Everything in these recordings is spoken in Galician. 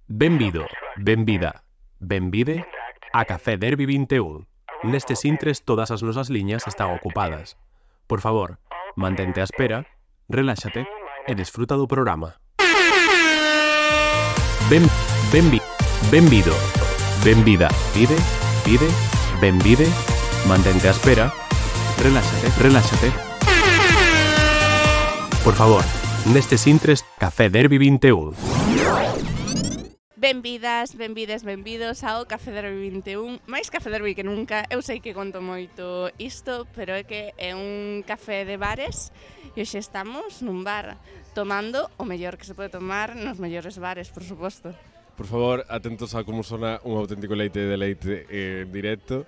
Benvido, benvida, benvide a Café Derby 21. Nestes intres todas as nosas liñas están ocupadas. Por favor, mantente á espera, reláxate e desfruta do programa. Benvido, benvida, pide, benvide, mantente á espera, reláxate. Por favor, nestes intres Café Derby 21. Benvidas, benvidos ao Café Derby 21. Mais Café Derby que nunca. Eu sei que conto moito isto, pero é que é un café de bares e hoxe estamos nun bar tomando o mellor que se pode tomar nos mellores bares, por suposto. Por favor, atentos a como sona un auténtico leite de leite en directo.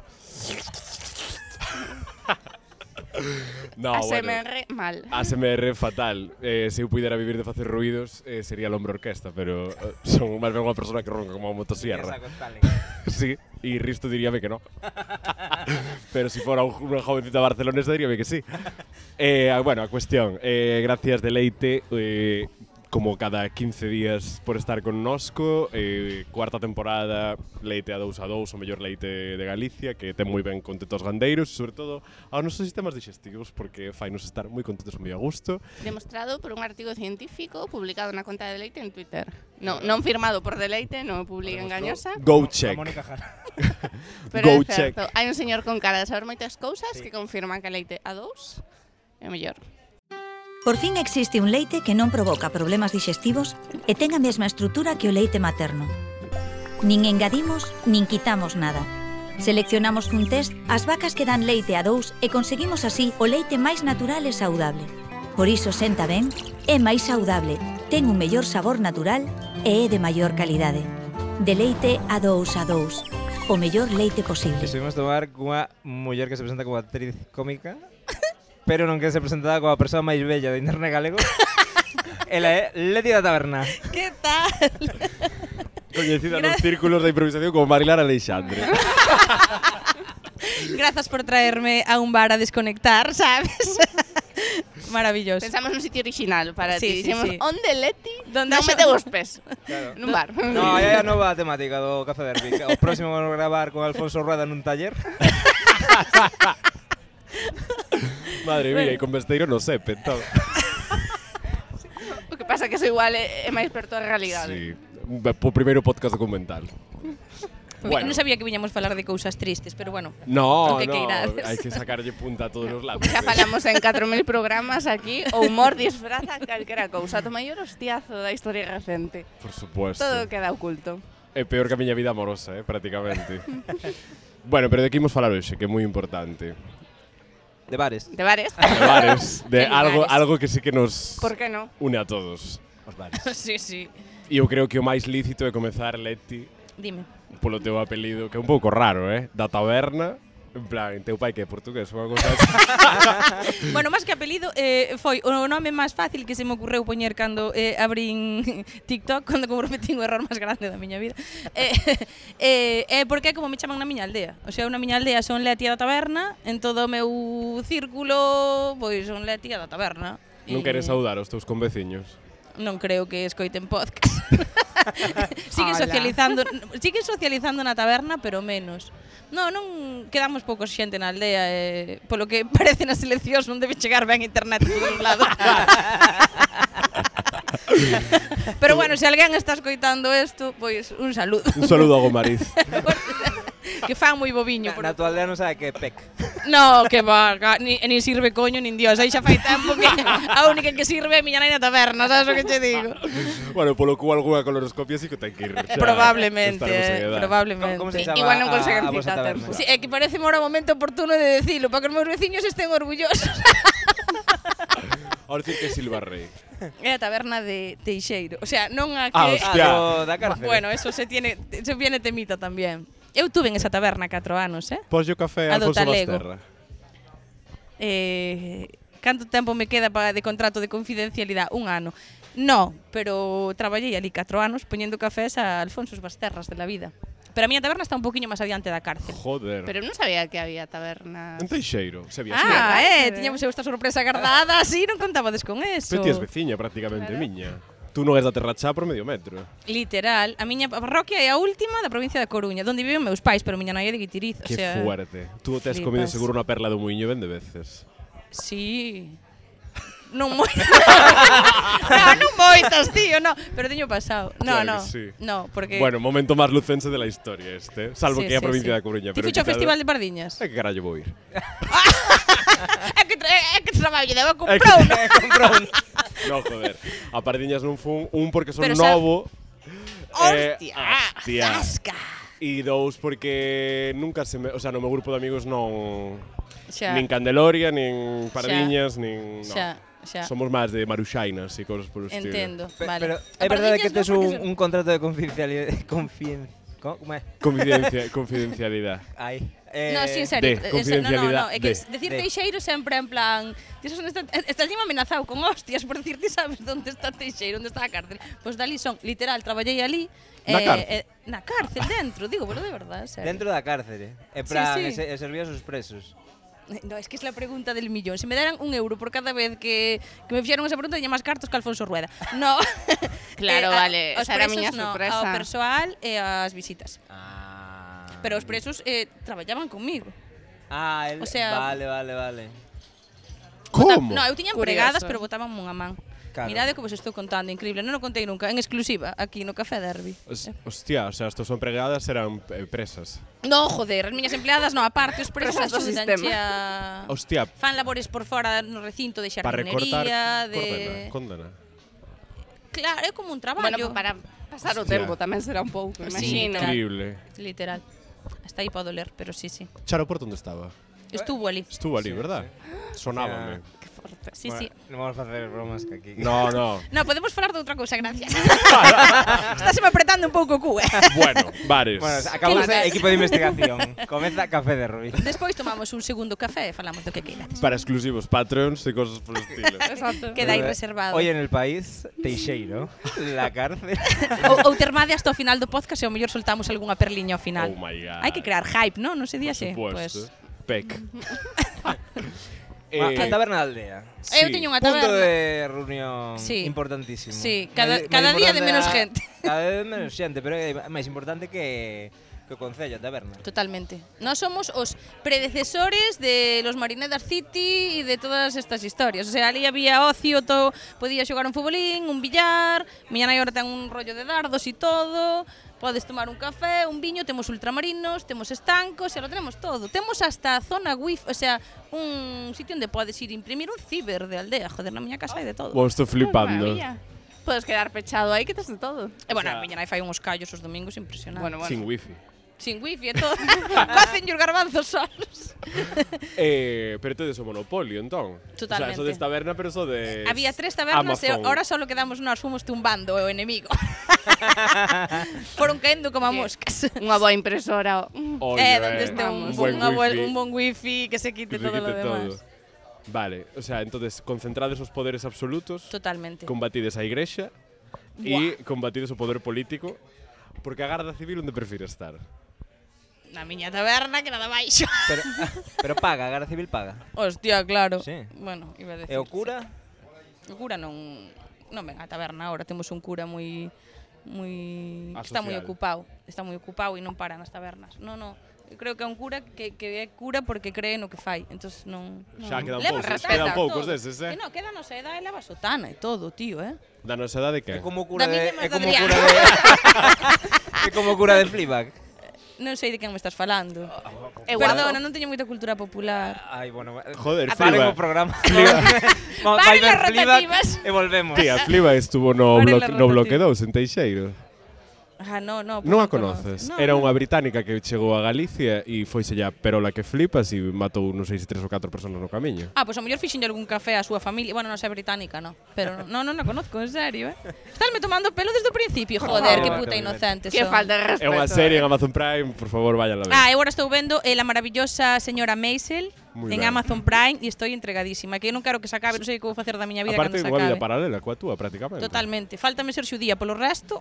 No, ASMR bueno, mal. ASMR fatal. Se eu puidera vivir de facer ruidos, sería l'Hombre Orquesta, pero son máis ben unha persona que ronca como a motosierra. Sí, e Risto diríame que no. Pero si fora unha jovencita barcelonesa diríame que sí. Bueno, a cuestión, gracias de leite, como cada 15 días por estar connosco, cuarta temporada, leite a 2 a 2, o mellor leite de Galicia, que ten moi ben contentos gandeiros, e sobre todo aos nosos sistemas digestivos, porque fainos estar moi contentos e moi a gusto. Demostrado por un artigo científico publicado na conta de Deleite en Twitter. Non firmado por Deleite, non publica engañosa. Go check. Pero Go é certo, check. hai un señor con cara de saber moitas cousas que confirman que leite a 2 é o mellor. Por fin existe un leite que non provoca problemas digestivos e ten a mesma estrutura que o leite materno. Nin engadimos, nin quitamos nada. Seleccionamos cun test as vacas que dan leite a 2 e conseguimos así o leite máis natural e saudable. Por iso senta ben, é máis saudable, ten un mellor sabor natural e é de maior calidade. De leite a 2 a 2, o mellor leite posible. Estuvimos tomar cunha muller que se presenta como actriz cómica, pero non que se presentada como a persoa máis bella de internet galego. Ela é Leti da Taberna. Que tal? Coñecida nos círculos de improvisación como Marilar Aleixandre. Grazas por traerme a un bar a desconectar, sabes? Maravilloso. Pensamos nun sitio original para ti. Sí, Dixemos, sí. onde Leti? Donde Non haxa- mete os pés. Claro. Nun bar. No, é a nova temática do Café Derby. O próximo vamos a gravar con Alfonso Rueda nun taller. Madre mía, e con Besteiro no sepe, entón. O que pasa que eso igual é máis perto da realidade. Sí, po primeiro podcast documental. Non sabía que viñamos falar de cousas tristes, pero bueno. No, O que queirades. hai que sacarlle punta a todos os lados. Xa falamos en 4000 programas aquí, o humor disfraza calquera cousa. O maior hostiazo da historia recente. Por supuesto. Todo queda oculto. É peor que a miña vida amorosa, prácticamente. Bueno, pero de que imos falar hoxe, que é moi importante. De bares. De bares? De bares, de De lugares. algo que sí que nos Por que non? une a todos. Os bares. Sí, sí. E eu creo que o máis lícito é comezar, Leti, Dime. polo teu apelido, que é un pouco raro, da taberna. En plan, teu pai que é portugués, unha cousa así. Bueno, máis que apelido, foi o nome máis fácil que se me ocurreu poñer cando abrín TikTok, cando comprometí o error máis grande da miña vida. Porque é como me chaman na miña aldea. O sea, na miña aldea son Leti da Taberna, en todo o meu círculo, pois son Leti da Taberna. Non queres saudar os teus conveciños? Non creo que escoiten podcast. Siguen socializando na taberna, pero menos. Non quedamos poucos xente na aldea, polo que parece nas eleccións non debe chegar ben internet por todos lados. Pero bueno, se alguén está escoitando isto, pois un saludo. Un saludo a Gomariz. Que fan moi boviño. Na tua aldea non sabe que é PEC. No, que va, ni sirve coño nin Dios. Aí xa fai tempo que a única que sirve é a miña nai na taberna, sabes o que te digo? Bueno, polo cu algunha coloroscopia sí que ten que ir. xa, Probablemente, estaremos en edad. probablemente. Como se Sí, chama igual non a conseguen vosa cita a taberna? tempo. Sí, é que parece ahora o momento oportuno de decilo, para que os meus veciños estén orgullosos. Ahora dicir que é Silva Rey. É a taberna de Teixeiro. O sea, non a que... hostia. Da cárcel. Bueno, eso viene temita tamén. Eu tuve en esa taberna 4 anos, Pollo café A do Alfonso Talego. Basterra. Canto tempo me queda de contrato de confidencialidade? 1 ano. No, pero traballei ali 4 anos poñendo cafés a Alfonso Basterras de la vida. Pero a miña taberna está un poquinho máis adiante da cárcel. Joder. Pero non sabía que había tabernas. En Teixeiro, se había Tiñamos esta sorpresa guardada, así non contabades con eso. Pero ti es veciña prácticamente, Claro. miña. Tú non és da Terra Chá por medio metro. Literal, a miña parroquia é a última da provincia da Coruña, onde viven meus pais, pero miña nai é de Guitiriz, Que o sea, fuerte. Tú te has comido flipas. seguro unha perla do muiño ben de veces. Sí. Non moi. non moitas, tío, no, pero teño pasado. No, Claro no. que sí. No, porque Bueno, momento máis lucense de la historia este. Salvo Sí, que é a sí, provincia sí. da Coruña. Ti fucho ao Festival de Pardiñas? Que carallo vou ir? É que traballo, debo comprar un. No, joder. A Pardiñas non fun, porque son Pero novo. Hostia, hostia. zasca. E dous, porque nunca se me... O sea, no meu grupo de amigos non... Xa, Nin Candeloria, nin Pardiñas, nin... No. xa. Somos máis de Maruxainas e cosas por o estilo. Entendo, vale. Pero A é verdade Pardiñas que tes non, porque un contrato de confidencialidade. Como é? Confidencialidade. Ai. No, sí, en serio. de No, confidencialidade, é que de. decir De. Teixeiro sempre en plan, estás amenazado con hostias por decir, ti sabes onde está Teixeiro, onde está a cárcel. Pois dali son, literal, traballei ali. Na cárcel? Na cárcel, dentro, digo, pero de verdade, en serio. Dentro da cárcere. En plan, sí. servías os presos. No, es que es la pregunta del millón. Si me dieran €1 por cada vez que me fixeron esa pregunta, teña máis cartos que Alfonso Rueda. No. Claro, vale, Os esa era a presos miña no, sorpresa. ao persoal e as visitas. Ah. Pero os presos traballaban comigo. Ah, O sea- vale. Como? No, eu tiña Curioso. empregadas, pero botaban unha man. Claro. Mirade como vos estou contando, increíble. Non o contei nunca, en exclusiva, aquí no Café Derby. Hostia, o sea, estas empregadas eran presas. No, joder, as miñas empleadas non, aparte, os presos Presas do axudanche sistema. a... Hostia, Fan labores por fora no recinto de para recortar... xardinería, de... Condena. Claro, é como un traballo. Bueno, para pasar o Hostia. tempo tamén será un pouco, Sí, imagino. Increíble. Literal. Hasta aí pode doler, pero sí, sí. Charo, por onde estaba? Estuvo ali. Estuvo ali, verdad? Sonábame. Que forte. Sí, sí. Non vamos facer bromas que aquí. No, no. No, podemos falar de outra cousa, gracias. Estáseme apretando un pouco o cu, Bueno, bares. Bueno, acabamos Que de equipo de investigación. Comeza Café de Rubí. Despois tomamos un segundo café e falamos do que queirades. Para exclusivos Patreons e cosas por estilo. Exacto. Queda aí reservado. Hoy en el país, Teixeiro, la cárcel. Ou termade hasta o final do podcast e ao mellor soltamos algunha perliña ao final. Oh my God. Hai que crear hype, non? Non se di Por así. supuesto. Pec. A taberna da aldea. Eu teño unha Punto taberna. de reunión Sí. importantísimo. Sí, cada día de menos gente. Cada día de menos xente, pero é máis importante que o Concello, a taberna. Totalmente. Nós somos os predecesores de los Marinedas City e de todas estas historias. O sea, ali había ocio, todo, podía xogar un futbolín, un billar, miña nai ahora ten un rollo de dardos e todo. Podes tomar un café, un viño, temos ultramarinos, temos estancos, e lo tenemos todo. Temos hasta zona wifi, o sea, un sitio onde podes ir imprimir un ciber de aldea. Joder, na miña casa hai de todo. Vos estou flipando. Maravilla. Podes quedar pechado aí que tes de todo. E bueno, a miña nai fai uns callos os domingos impresionantes. Bueno. Sin wifi. Sin wifi e todo. Cocen os garbanzos solos. Pero tedes o monopolio, entón. Totalmente. O sea, eso de taberna, pero eso de... Había 3 tabernas e Amazon. ahora solo quedamos nós, fomos tumbando o enemigo. Foron caendo como a moscas. Unha boa impresora. Oye, Donde este un bon wifi que se quite Que se todo lo quite demás. Vale, o sea, entonces concentrades os poderes absolutos, Totalmente. combatides a igrexa e combatides o poder político, porque a Garda Civil onde prefire estar? Na miña taberna que nada baixo. Pero paga, a Garda Civil paga. Hostia, claro. Sí. Bueno, iba a decir. E o cura? O cura non ven a taberna ahora, temos un cura moi está moi Asocial. ocupado e non para nas tabernas. No. Eu creo que é un cura que é cura porque cree no que fai. Entonces non. Xa quedan Leva poucos, respeta quedan poucos todo. deses, E non, queda nos edad e leva sotana e todo, tío, Da nosa edade que? É como cura Da de... miña máis É como Adrián. cura de... É como cura de Fleabag. Non sei de quen me estás falando. Eu Perdona, non teño moita cultura popular. Ai, bueno... Joder, paren Fleabag. o programa. Paren as rotativas. E volvemos. Tía, Fleabag estuvo no, Paren las no bloque rotativas. 2 en Teixeiro. Ah, no. Non a conoces? No, Era no. unha británica que chegou a Galicia e foise ya perola que flipas e matou, non sei se 3 ou 4 personas no camiño. Ah, pois a mellor fixenlle algún café á súa familia. Bueno, non sei británica, no. Pero non a conozco, en serio, Estásme tomando pelo desde o principio, joder, favor, que puta Carmen. inocente Que son. falta de É respeto. unha serie en Amazon Prime, por favor, vayan a ver. Ah, eu agora estou vendo La maravillosa señora Maisel Muy en ben. Amazon Prime e estou entregadísima. Que eu non quero que se acabe, non sei que vou facer da miña vida Aparte, cando se unha vida acabe. paralela coa túa, prácticamente. Totalmente. Fáltame ser xudía polo resto.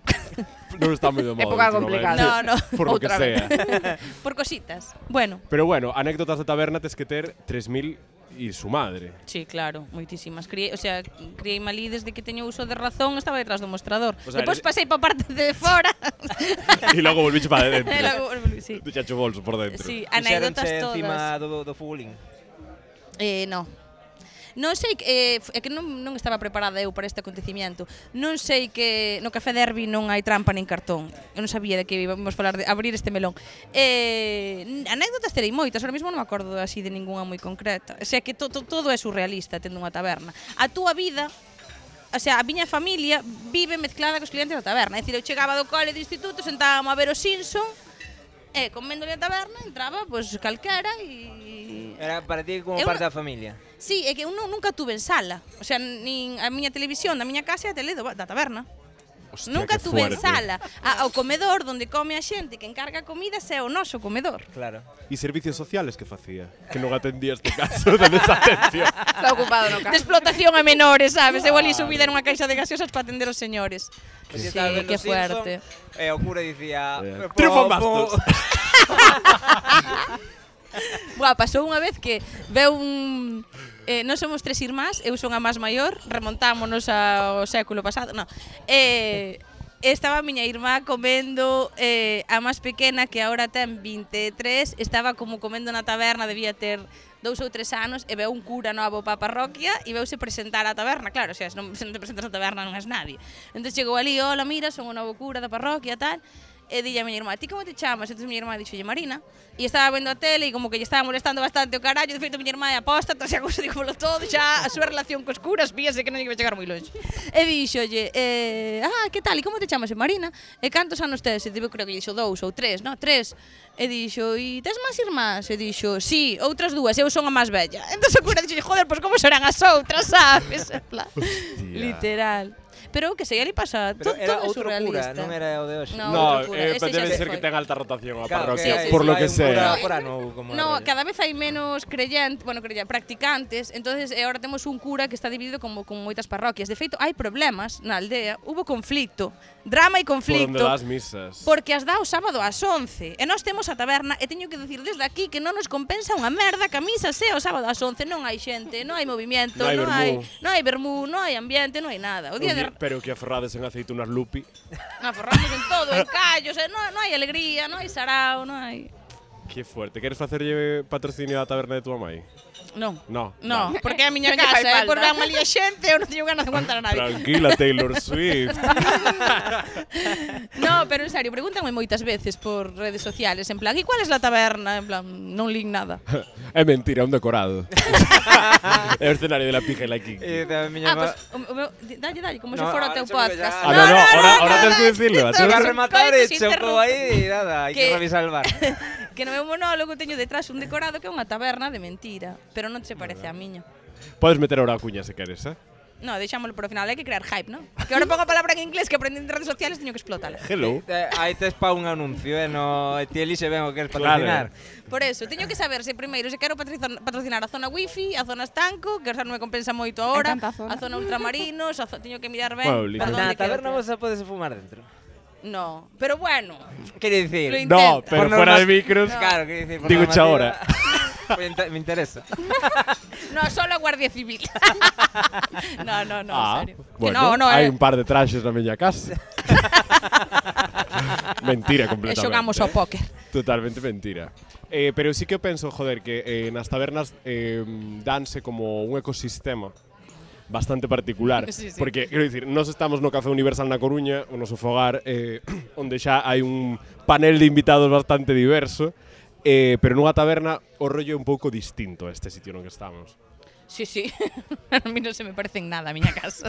Non está moi de moda. Época últimamente. complicada. No. Por lo que Outra vez. sea. Por cositas. Bueno, Pero bueno, anécdotas de taberna tes que ter 3000 E su madre. Sí, claro, moitísimas. Criei malí desde que teño uso de razón, estaba detrás do mostrador. O sea, Depois pasei pa parte de fora. E logo volviche para dentro. E logo sí. Deixache o bolso por dentro. Sí, anécdotas Fixéronche todas. encima do fúling. No. Non sei que é que non estaba preparada eu para este acontecimiento. Non sei que no Café Derby non hai trampa nin cartón. Eu non sabía de que íbamos falar de abrir este melón. Anécdotas terei moitas, ahora mesmo non me acordo así de ningunha moi concreta. O sea que todo é surrealista tendo unha taberna. A túa vida, o sea, a miña familia vive mezclada cos clientes da taberna. É dicir, eu chegaba do cole de instituto, sentábamos a ver o Simpson, e comendo na taberna entraba pois calquera e Era para ti como Eu parte non- da familia. Sí, é que eu nunca tuve en sala. O sea, nin a miña televisión da miña casa é a tele da taberna. Hostia, Nunca que tuve en fuerte. sala. O comedor onde come a xente que encarga comidas é o noso comedor. Claro. E servicios sociales que facía? Que non atendía este caso de desatención. Está ocupado no De caso. explotación a menores, sabes? Eu ali subida nunha caixa de gaseosas para atender os señores. Que Sí, estaba vendo que Simpson, fuerte. E o cura dicía... Triunfo bastos. Buah, pasou unha vez que veu un... non somos 3 irmás, eu son a máis maior, remontámonos ao século pasado, non. Estaba a miña irmá comendo, a máis pequena, que agora ten 23, estaba como comendo na taberna, debía ter 2 ou 3 anos, e veu un cura novo para a parroquia e veuse presentar á taberna, claro, se non te presentas á taberna non és nadie. Entón chegou ali, hola, mira, son o novo cura da parroquia, tal, e dille a miña irmá, ti como te chamas? Entón miña irmá dixolle Marina, e estaba vendo a tele e como que lle estaba molestando bastante o carallo, de feito miña irmá é apóstata, xa cousa dígolo todo, xa a súa relación cos curas víase que non lle iba a chegar moi longe. E dixolle, que tal, e como te chamas? Marina, e cantos anos tes? E creo que lle dixo 2 ou 3, no, 3. E dixo, e tes máis irmás? E dixo, sí, outras 2, eu son a máis bella. Entón o cura dixolle, joder, pois como serán as outras, sabes? En plan, literal. Pero que sei, ali pasa, Pero todo era é outro cura, surrealista. non era o de hoxe. No, No, outro cura, ese xa debe se ser foi. que ten alta rotación a Claro, parroquia, sí, por sí, lo hai que un cura sea. por ano, como No, rollo. cada vez hai menos practicantes, entonces ahora temos un cura que está dividido como con moitas parroquias. De feito, hai problemas na aldea, hubo conflicto, drama e Por onde conflicto. das misas. Porque as dá o sábado ás 11 e nós temos a taberna e teño que decir desde aquí que non nos compensa unha merda que a misa sea o sábado ás 11, non hai xente, non hai movimiento, Non hai non hai vermú, non hai ambiente, non hai nada. O día de Pero que aferrades en aceitunas lupi. forramos en todo, en callos, non hai alegría, non hai sarao, non hai... Que fuerte. Queres facerlle patrocinio á taberna de tua mai? Non. No. No, porque é a miña Non lle fai casa, por falta. van malía xente, eu non teño ganas de aguantar a nadie. Tranquila, Taylor Swift. No, pero en serio, pregúntame moitas veces por redes sociales, en plan, e cuál es la taberna? En plan, non lín nada. É mentira, é un decorado. É o escenario de la pija e la king. E da miña Pues, má... dalle, como se No, fora o ahora teu se me ve podcast. ya. Ah, no, ahora tens que decirlo. no, Chega a Son rematar e coitos chocou aí e nada, hai que Que- revisar el bar. Que no meu monólogo teño detrás un decorado que é unha taberna de mentira, pero non se parece a miña. Podes meter ahora a cuña se queres, eh? No, deixámoslo por o final, hai que crear hype, ¿no? Que ahora pongo a palabra en inglés que aprendí en redes sociales, teño que explotala. Hello. Aí tes pa un anuncio, no, ti elixe ben o que queres Claro. patrocinar. Por eso, teño que saber se primeiro se quero patrocinar a zona wifi, a zona estanco, que xa non me compensa moito agora, tanta zona. a zona ultramarinos, teño que mirar ben Bueno, por literal. onde Na quero taberna tirar. vos podese fumar dentro. No, pero bueno, Quere dicir... Lo No, intenta. pero Por fuera norma- de micros. Claro, quere dicir... por Digo xa normativa- ahora. Me interesa. no, solo a Guardia Civil. no, en serio. Que Bueno, no, hai un par de traxes na miña casa. Mentira E completamente. xogamos ao póker. Totalmente mentira. Pero sí que penso, joder, que nas tabernas danse como un ecosistema bastante particular. Sí, sí. Porque, quero dicir, nós estamos no Café Universal na Coruña, o noso fogar, onde xa hai un panel de invitados bastante diverso, pero nunha taberna o rollo é un pouco distinto a este sitio no que estamos. Sí. A mí non se me parece en nada a miña casa.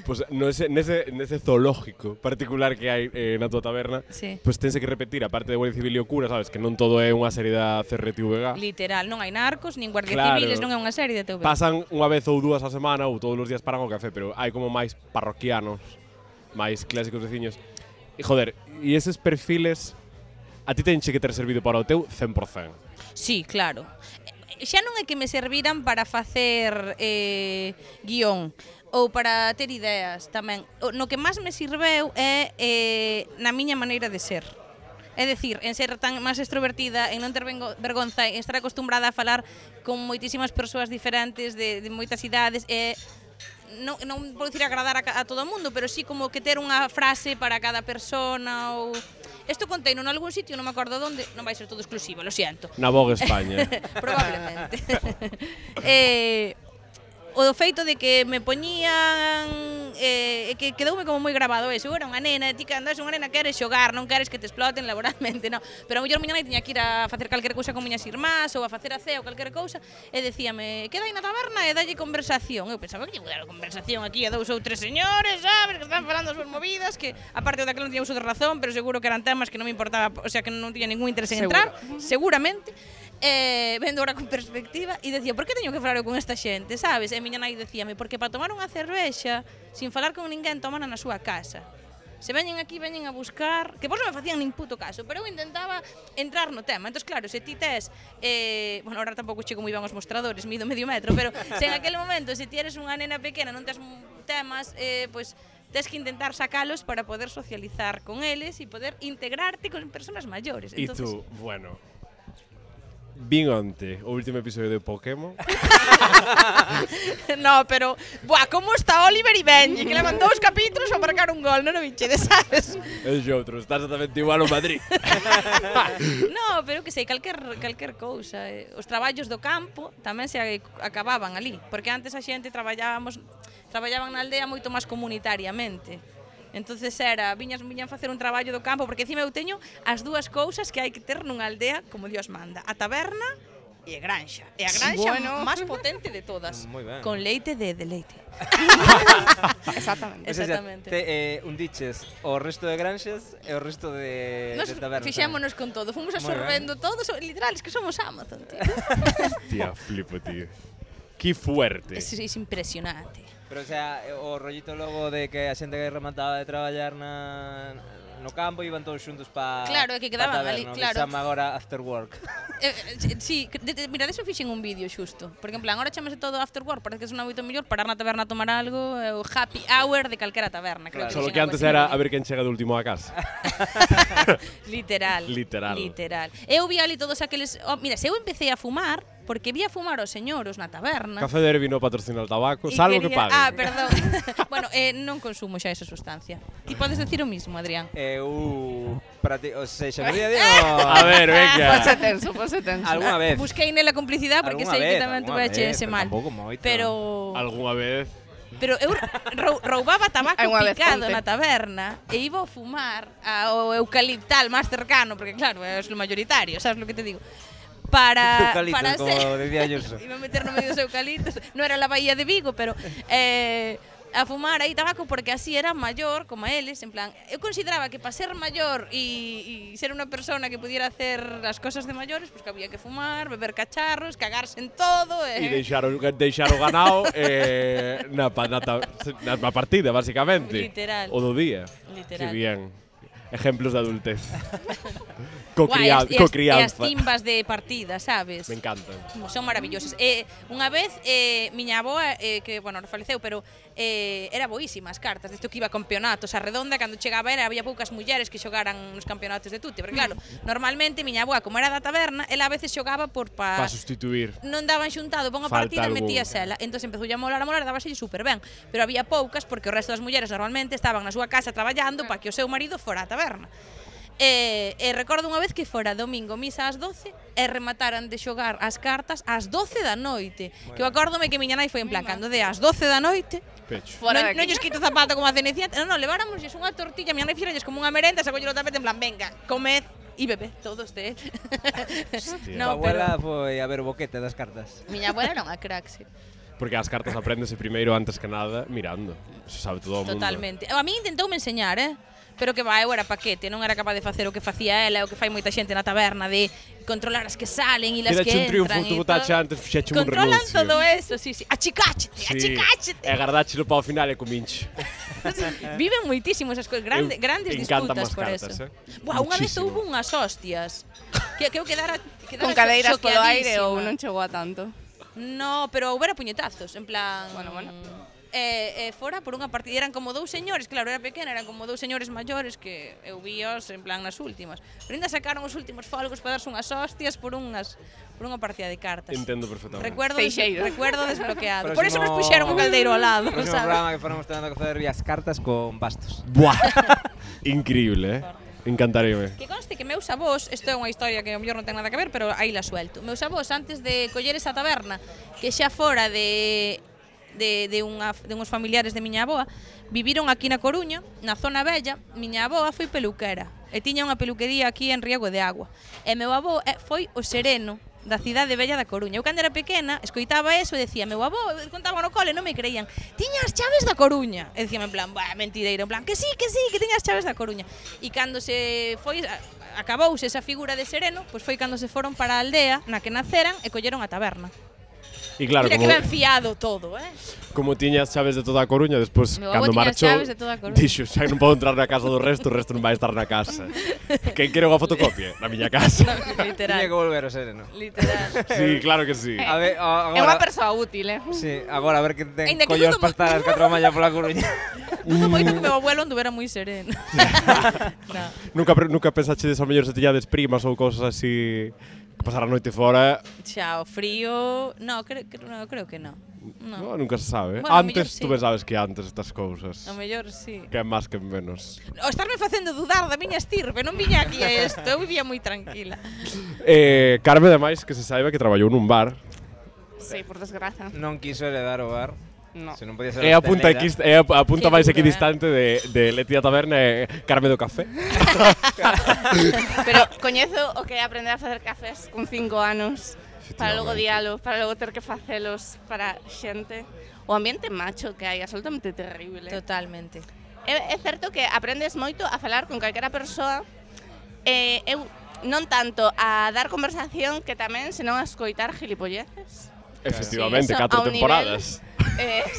Pues nese zoológico particular que hai na tua taberna, Sí. pues tense que repetir, aparte de Guardia Civil e o cura, sabes, que non todo é unha serie da CRTVG. Literal, non hai narcos, nin guardias Claro. civiles, non é unha serie de TV. Pasan unha vez ou dúas a semana ou todos os días paran o café, pero hai como máis parroquianos, máis clásicos veciños. E joder, e eses perfiles a ti tenche que ter servido para o teu 100%. Sí, claro. Xa non é que me serviran para facer guión ou para ter ideas tamén. No que máis me sirveu é na miña maneira de ser. É dicir, en ser tan máis extrovertida, en non ter vergonza, en estar acostumbrada a falar con moitísimas persoas diferentes de moitas idades, non vou dicir agradar a todo o mundo, pero sí como que ter unha frase para cada persona ou... Isto conteino en algún sitio, non me acordo onde, non vai ser todo exclusivo, lo siento. Na Vogue España. Probablemente. O feito de que me poñían que quedoume como moi grabado eso. Eu era unha nena, ti que andas unha nena queres xogar, non queres que te exploten laboralmente, non. Pero a mellor miña nai tiña que ir a facer calquera cousa con miñas irmás ou a facer a cea ou calquera cousa e decíame, queda aí na taberna e dalle conversación. Eu pensaba que lle vou dar conversación aquí a 2 ou 3 señores, sabes, que están falando as súas movidas, que aparte daquela non tiña uso de razón, pero seguro que eran temas que non me importaba, o sea, que non tiña ningún interés en entrar, seguramente. Vendo ahora con perspectiva e decía, por que teño que falar eu con esta xente, sabes? E miña nai decíame, porque para tomar unha cervexa sin falar con ninguén tomana na súa casa. Se veñen aquí, veñen a buscar, que vos non me facían nin puto caso, pero eu intentaba entrar no tema. Entón, claro, se ti tes, bueno, ahora tampouco chego moi ben aos mostradores, mido medio metro, pero se en aquel momento, se ti eres unha nena pequena, non tes temas, pois tes que intentar sacalos para poder socializar con eles e poder integrarte con persoas maiores. E tú, bueno, vin onte o último episodio de Pokémon. No, pero buah, como está Oliver e Benji, que levan 2 capítulos para marcar un gol, non o vichedes, sabes? E outro, estás exatamente igual ao Madrid. No, pero que sei, calquer cousa. Os traballos do campo tamén se acababan ali, porque antes a xente traballaban na aldea moito máis comunitariamente. Entonces viñan facer un traballo do campo, porque encima eu teño as 2 cousas que hai que ter nunha aldea como Dios manda, a taberna e a granxa. E a granxa máis potente de todas, con leite de leite. Exactamente. Exactamente. Un diches o resto de granxas e o resto de tabernas. Fixémonos con todo, fomos absorbendo todo, literal, es que somos Amazon, tío. Hostia, flipo, tío. Que fuerte. Es impresionante. Pero, o sea, o rollito logo de que a xente que remataba de traballar no campo iban todos xuntos para claro, é que quedaban ali, claro. Que chama agora after work. Sí, mira, deso fixen un vídeo xusto. Porque en plan, agora chamase todo after work, parece que sona moito mellor parar na taberna a tomar algo, o happy hour de calquera taberna. Claro. Solo que antes era a ver quen chega de último a casa. Literal. Eu vi ali todos aqueles... mira, se eu empecé a fumar, porque vi a fumar os señoros na taberna. Café Derby no patrocina o tabaco, salvo que pague. Perdón. Bueno, non consumo xa esa sustancia. Ti podes decir o mismo, Adrián. Para ti, o sea, xa no día A ver, venga. Pose tenso. Alguna vez. Busquei nela complicidade porque sei que tamén tuve ese mal. Pero Alguna vez. Pero eu roubaba tabaco picado ponte na taberna e iba a fumar ao eucaliptal máis cercano, porque claro, é o mayoritario, sabes lo que te digo? Para como decía Ayuso. Iba a meter no medio dos eucaliptos, non era la Bahía de Vigo, pero a fumar aí tabaco porque así era maior como eles, en plan, eu consideraba que para ser maior e ser unha persona que pudiera hacer as cosas de maiores, pues que había que fumar, beber cacharros, cagarse en todo e deixar o ganao na partida, basicamente. Literal. O do día. Literal. Que bien. Ejemplos de adultez. Crianza. E as Cocrianza. timbas de partida, sabes? Me encantan. Son maravillosas. Unha vez, miña avoa, que, bueno, faleceu, pero era boísima as cartas, desto que iba a campeonatos. A redonda, cando chegaba había poucas mulleres que xogaran nos campeonatos de tute. Porque, claro, normalmente, miña avoa, como era da taberna, ela a veces xogaba para sustituir. Non daban xuntado, pon a partida, metías ela. Entón, empezou a molar, dábaselle super ben. Pero había poucas, porque o resto das mulleres normalmente estaban na súa casa traballando para que o seu marido fora á taberna. Recordo unha vez que fora domingo misa ás 12 e remataran de xogar as cartas ás 12 da noite. Que eu acórdome que miña nai foi en plan, cando de ás 12 da noite Pecho. non lles quito zapato como a cenecienta. Non, leváramos unha tortilla, miña nai fixeralles como unha merenda, sacolles o tapete en plan, venga, comed e bebé todos de él. No, abuela foi a ver o boquete das cartas. Miña abuela era unha crack, sí. Porque as cartas apréndese primeiro antes que nada mirando. Se sabe todo o mundo. Totalmente. A mí intentoume enseñar, pero que eu era paquete, non era capaz de facer o que facía ela, o que fai moita xente na taberna, de controlar as que salen e as que entran. Quedache un triunfo, tu botache antes, fixeche un renuncio. Controlan todo eso, sí. Achicáchete. E agardáchelo para o final e cominche. Viven moitísimo esas cousas, grandes disputas por eso. Unha vez houve unhas hostias, que eu quedara con cadeiras polo aire ou non chegou a tanto. No, pero houbera puñetazos, en plan... Bueno. fora por unha partida, eran como dous señores, claro, era pequena, eran como dous señores maiores que eu víos en plan nas últimas. Pero ainda sacaron os últimos folgos para darse unhas hostias por unha partida de cartas. Entendo perfectamente. Recuerdo desbloqueado. Próximo- Por eso nos puxeron o caldeiro ao lado, Próximo sabes? programa que faremos tendo que facer as cartas con bastos. Buah. Increíble, Encantaríame. Que conste que meus avós, isto é unha historia que ao mellor non ten nada que ver, pero aí la suelto. Meus avós, antes de coller esa taberna, que xa fora de uns familiares de miña avoa, viviron aquí na Coruña, na zona bella. Miña avoa foi peluquera e tiña unha peluquería aquí en Riego de Agua. E meu avó foi o sereno da cidade bella da Coruña. Eu cando era pequena escoitaba eso e decía, meu avó, contaba no cole, non me creían, tiña as chaves da Coruña. E decíame en plan, mentireiro, en plan, que sí, que tiña as chaves da Coruña. E cando se foi, acabouse esa figura de sereno, pois foi cando se foron para a aldea na que naceran e colleron a taberna. E claro, Mira que ben fiado todo, como tiña as chaves de toda a Coruña, despois, Meu avó cando tiña as marchou, chaves de toda a Coruña. dixo, xa non podo entrar na casa do resto, o resto non vai estar na casa. Quen quere unha fotocopia? Na miña casa. Literal. Tiña que volver o sereno. Literal. Sí, claro que sí. A ver, É unha persoa útil, Sí, agora a ver que ten Ainda que collos dudo para estar as 4 da mañá pola Coruña. Dudo moito que meu abuelo anduvera moi sereno. No. Nunca pensachedes ao mellor se tiñades primas ou cousas así que pasar a noite fora? Xa, o frío... No, creo que no. No, nunca se sabe. Bueno, ao mellor Antes, sí. tú ben sabes que antes estas cousas. O mellor sí. Que é máis que menos. O estarme facendo dudar da miña estirpe, non viña aquí a isto, eu vivía moi tranquila. Carme, ademais, que se saiba que traballou nun bar. Sí, por desgraza. Non quiso heredar o bar. No. Se non podía ser É a punta, hostelera. a punta Qué máis duro, equidistante de Leti da Taberna e Carme do Café. Pero coñezo o que é aprender a facer cafés con 5 anos para logo diálo, para logo ter que facelos para xente. O ambiente macho que hai, absolutamente terrible. Totalmente. É certo que aprendes moito a falar con calquera persoa. Eu non tanto a dar conversación que tamén, senón a escoitar gilipolleces. Efectivamente, Sí, eso 4 a un temporadas.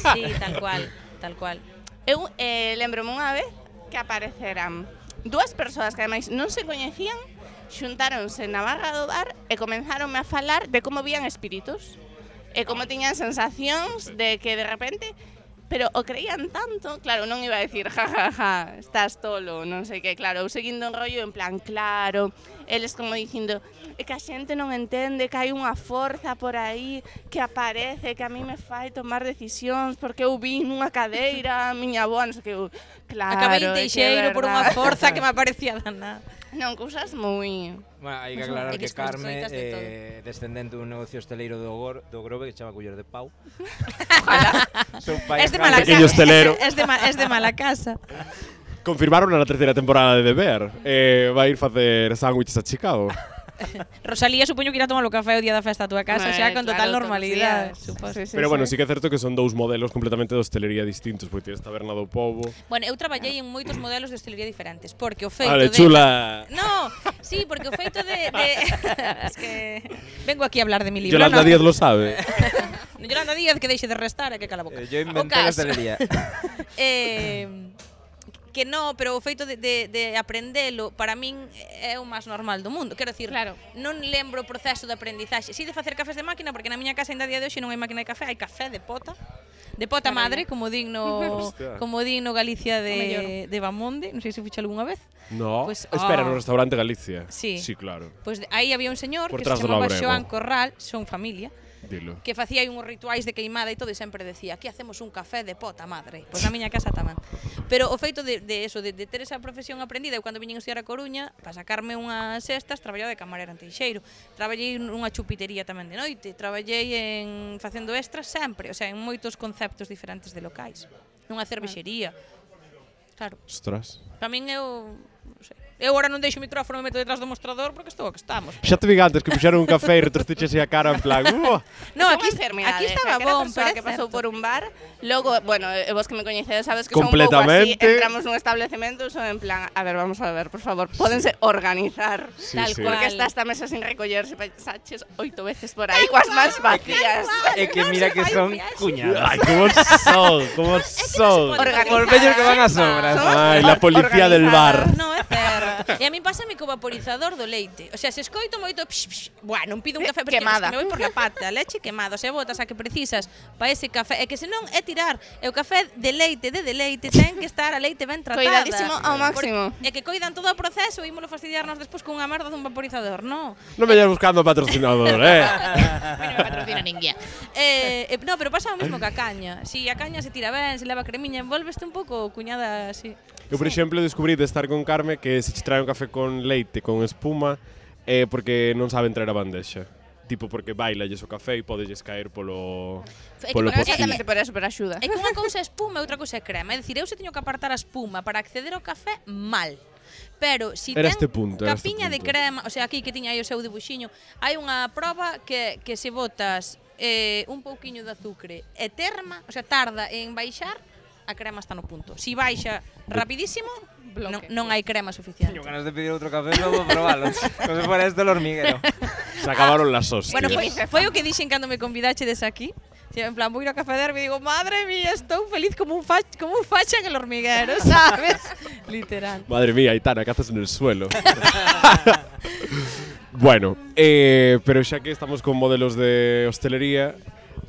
Sí, tal cual. Eu lembro-me unha vez que apareceran dúas persoas que ademais non se coñecían, xuntáronse na barra do bar e comenzaronme a falar de como vían espíritus e como tiñan sensacións de que de repente, pero o creían tanto, claro, non iba a decir ja, estás tolo, non sei que, claro, eu seguindo un rollo en plan, claro, eles como dicindo, é que a xente non entende que hai unha forza por aí que aparece, que a mí me fai tomar decisións porque eu vi nunha cadeira, a miña avó, non sei que, claro, Acabei é en que é Teixeiro por unha verdade. forza que me aparecía danada. Non, cousas moi... Bueno, hai que aclarar É que que Carme escoitas de todo. descendente dun negocio hosteleiro do Grove que se chama Culler de Pau. Seu Es de Jaime. mala Pequeño casa. hostelero. Es de mala casa. Confirmaron na terceira temporada de Bear. Vai ir facer sándwiches a Chicago. Rosalía supoño que irá tomar o café o día da festa a túa casa, xa con total normalidade, suposto. Pero bueno, sí que é certo que son dous modelos completamente de hostelería distintos, porque tienes Taberna do Pobo. Bueno, eu traballei en moitos modelos de hostelería diferentes, porque o feito Vale, de... chula. No, sí, porque o feito de... Es que vengo aquí a hablar de mi libro, Yolanda no. Díaz lo sabe. Yolanda Díaz, que deixe de restar e que cala a boca. Yo O inventé a caso, hostelería. que no, pero o feito de aprendelo para min é o máis normal do mundo. Quero dicir, Claro. non lembro o proceso de aprendizaxe. Si de facer cafés de máquina, porque na miña casa ainda a día de hoxe non hai máquina de café, hai café de pota. De pota madre, como digno Hostia. Galicia mellor. de Bamonde, non sei se ficha algunha vez. No. Pues, Espera, ah. no restaurante Galicia. Sí. Sí, claro. Pois aí había un señor Por que se tras do chamaba Labrego. Xoán Corral, son familia, Dilo. que facía aí uns rituais de queimada e todo e sempre decía, aquí hacemos un café de pota madre. Pois na miña casa tamén. Pero o feito de eso, de ter esa profesión aprendida, eu cando viñen a estudiar a Coruña, para sacarme unhas cestas, traballaba de camarera en Teixeiro. Traballei nunha chupitería tamén de noite, traballei en facendo extras sempre, o sea, en moitos conceptos diferentes de locais. Nunha cervexería. Claro, Ostras. para min eu, non sei. Eu agora non deixo o micrófono e me meto detrás do mostrador porque estou que estamos. Xa te vi antes que puxeron un café e retrostiches a cara en plan, No, aquí estaba bon, bon, pero é que pasou certo. por un bar, logo, bueno, vos que me coñecedes sabes que son un pouco Completamente. así, entramos nun establecemento, son en plan, a ver, vamos a ver, por favor, pódense organizar. Sí, Tal sí. cual. Porque está esta mesa sin recollerse, pasaches 8 veces por aí, coas mans vacías. É que mira que son cuñadas. Ay, cómo son, cómo son. pode Organizadas. Os vellos que van a sobras. Somos Ay, la policía del bar. organizadas. No, é certo. E a mí pásame co vaporizador do leite. O sea, se escoito moito, bueno, non pido un café, porque Quemada. me voy por la pata, leche quemada, o sea, botas a que precisas para ese café, e que senón é tirar, e o café de deleite, ten que estar a leite ben tratada. Coidadísimo ao máximo. E que coidan todo o proceso e ímolo fastidiarnos despois cunha merda dun vaporizador, non? Non me vayas buscando patrocinador, A mí non me patrocina ninguén. No, pero pasa o mismo que a caña. Si a caña se tira ben, se leva cremiña, envolveste un pouco cuñada así. Eu, por exemplo, descubrí de estar con Carme que se che trae un café con leite, con espuma, porque non saben traer a bandexa. Tipo, porque baillalles o café e podelles caer polo pocillo. Exactamente por eso, por axuda. É que unha cousa é espuma e outra cousa é crema. É dicir, eu se teño que apartar a espuma para acceder ao café, mal. Pero si Era ten este punto, era este capiña de punto. crema, o sea, aquí que tiña aí o seu dibuxiño, hai unha proba que se botas un pouquiño de azucre e terma, o sea, tarda en baixar, a crema está no punto. Si baixa rapidísimo, non hai crema suficiente. Teño ganas de pedir outro café só para probarlo. Como se fuera esto el hormiguero. Se acabaron las hostias. Bueno, foi o que dixen cando me convidachedes aquí. En plan, vou ir a Café Derby e digo, madre mía, estou feliz como un facha en el hormiguero, ¿sabes? Literal. Madre mía, Aitana, cazas en el suelo. Bueno, pero xa que estamos con modelos de hostelería,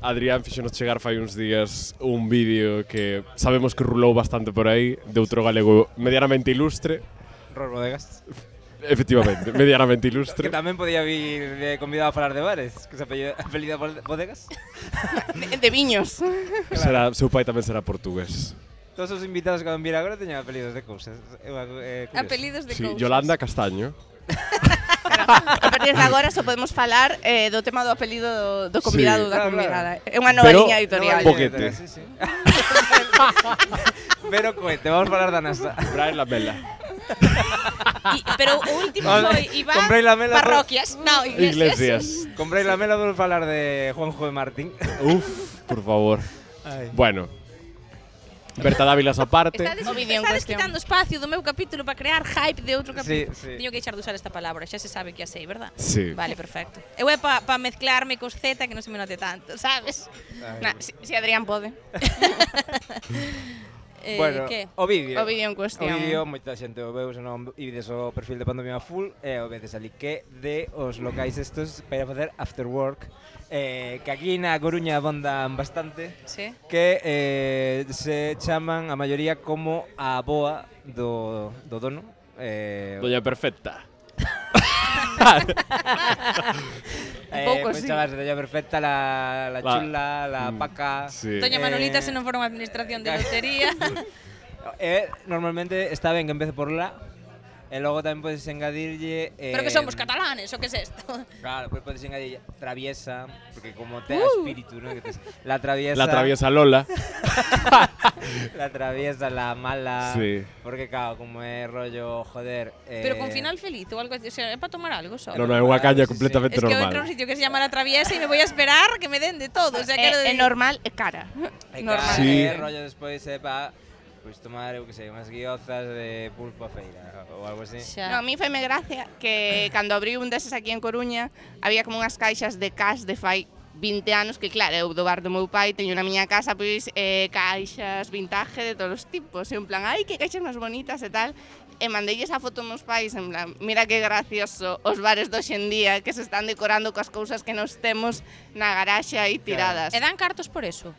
Adrián fixonos chegar fai uns días un vídeo que sabemos que rulou bastante por aí, de outro galego medianamente ilustre. Ror Bodegas. Efectivamente, medianamente Que ilustre. tamén podía vir de convidado a falar de bares, que se apelida Bodegas. De viños. Será, seu pai tamén será portugués. Todos os invitados que van vir agora teñen apelidos de cousas. Apelidos de Sí, cousas. Yolanda Castaño. A partir de agora só podemos falar do tema do apelido do convidado Sí. da Claro, convidada. É unha nova Pero- liña editorial. Boquete. Sí, sí. Pero cohete, vamos a falar da NASA. Brian Lamela. Pero o último foi Iván Comprei la mela Parroquias. No, Iglesias. Comprei la mela, vamos a falar de Juanjo de Martín. Uf, por favor. Ay. Bueno, Berta Dávilas aparte. O vídeo en Estades cuestión. quitando espacio do meu capítulo para crear hype de outro capítulo. Sí. Teño que deixar de usar esta palabra, xa se sabe que a sei, verdad? Sí. Vale, perfecto. Eu é para mezclarme cos Z que non se me note tanto, sabes? Nah, si Adrián pode. Bueno, que? o vídeo. O vídeo en O cuestión. vídeo, moita xente o veu, se non ides o perfil de Pandemia Full, e o veces ali que de os locais estos para facer after work, que aquí na Coruña abondan bastante, Sí. que se chaman a maioría como a boa do dono. Doña Perfecta. pouco, pues sí. chamas Doña Perfecta, la chula, la paca. Sí. Doña Manolita se non fora unha administración de lotería. Normalmente está ben que empece por la, e logo tamén podes engadirlle... Pero que somos catalanes, o que é isto? Claro, pues podes engadirlle traviesa, porque como te espíritu, ¿no? Que la traviesa... La traviesa Lola. La traviesa, la mala... Sí. Porque claro, como é rollo, joder... Pero con final feliz ou algo así, o sea, é para tomar algo só. No, no, é unha caña Sí, sí. completamente Es que eu entro a un normal. sitio que se llama La Traviesa e me voy a esperar que me den de todo, o sea, quero É decir... normal e cara. E Normal. Sí. rollo despois pa... Pois tomar, eu que sei, unhas guiozas de pulpo a feira ou algo así. Xa. No, a mí faime gracia que cando abriu un deses aquí en Coruña había como unhas caixas de cas de fai 20 anos que claro, eu do bar do meu pai teño na miña casa pois caixas vintage de todos os tipos, e en plan, ai, que caixas máis bonitas e tal. E mandeilles a foto meus pais, en plan, mira que gracioso os bares do hoxendía que se están decorando coas cousas que nos temos na garaxe aí tiradas. E dan cartos por eso?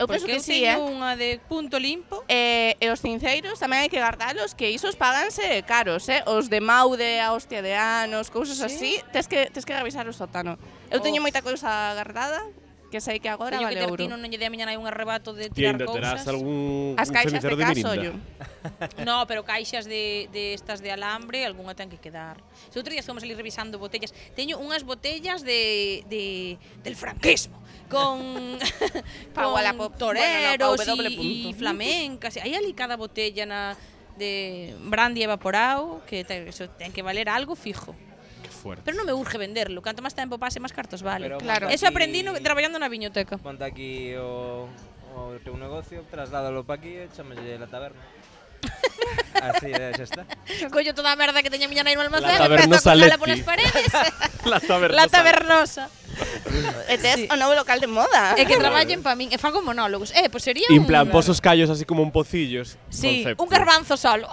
Eu penso Porque que eu sí, teño unha de punto limpo. E os cinceiros tamén hai que guardalos, que isos paganse caros, os de Maude, a hostia de anos, cousas así, tes que revisar o sótano. Eu teño moita cousa guardada, que sei que agora Teño vale que ter ouro. tino, non lle dei a miña nai un arrebato de Ti tirar ainda terás cousas. algún As un caixas de cenicero de caso, Mirinda. ollo. No, pero caixas de estas de alambre, algunha ten que quedar. Se outro día fomos ali revisando botellas. Teño unhas botellas del franquismo con Pa Wallapop. toreros Bueno, no, pa W. e flamencas. Hai ali cada botella de brandy evaporado que eso ten que valer algo fijo. Qué fuerte. Pero non me urge venderlo. Canto máis tempo pase, máis cartos vale. Pero Claro. monta Eso aquí- aprendí traballando na viñoteca. Monta aquí o teu negocio, trasládalo pa aquí e chámalle la taberna. Así, xa está. Collo toda a merda que teña a miña nai no almacén La e empezo a tabernosa colgala Leti. polas paredes. La taberna. La tabernosa. E tes Sí. o novo local de moda. É que traballen para min, e fago monólogos. Pois sería En plan, pos os callos así como un pocillos. Sí, concepto. un garbanzo solo.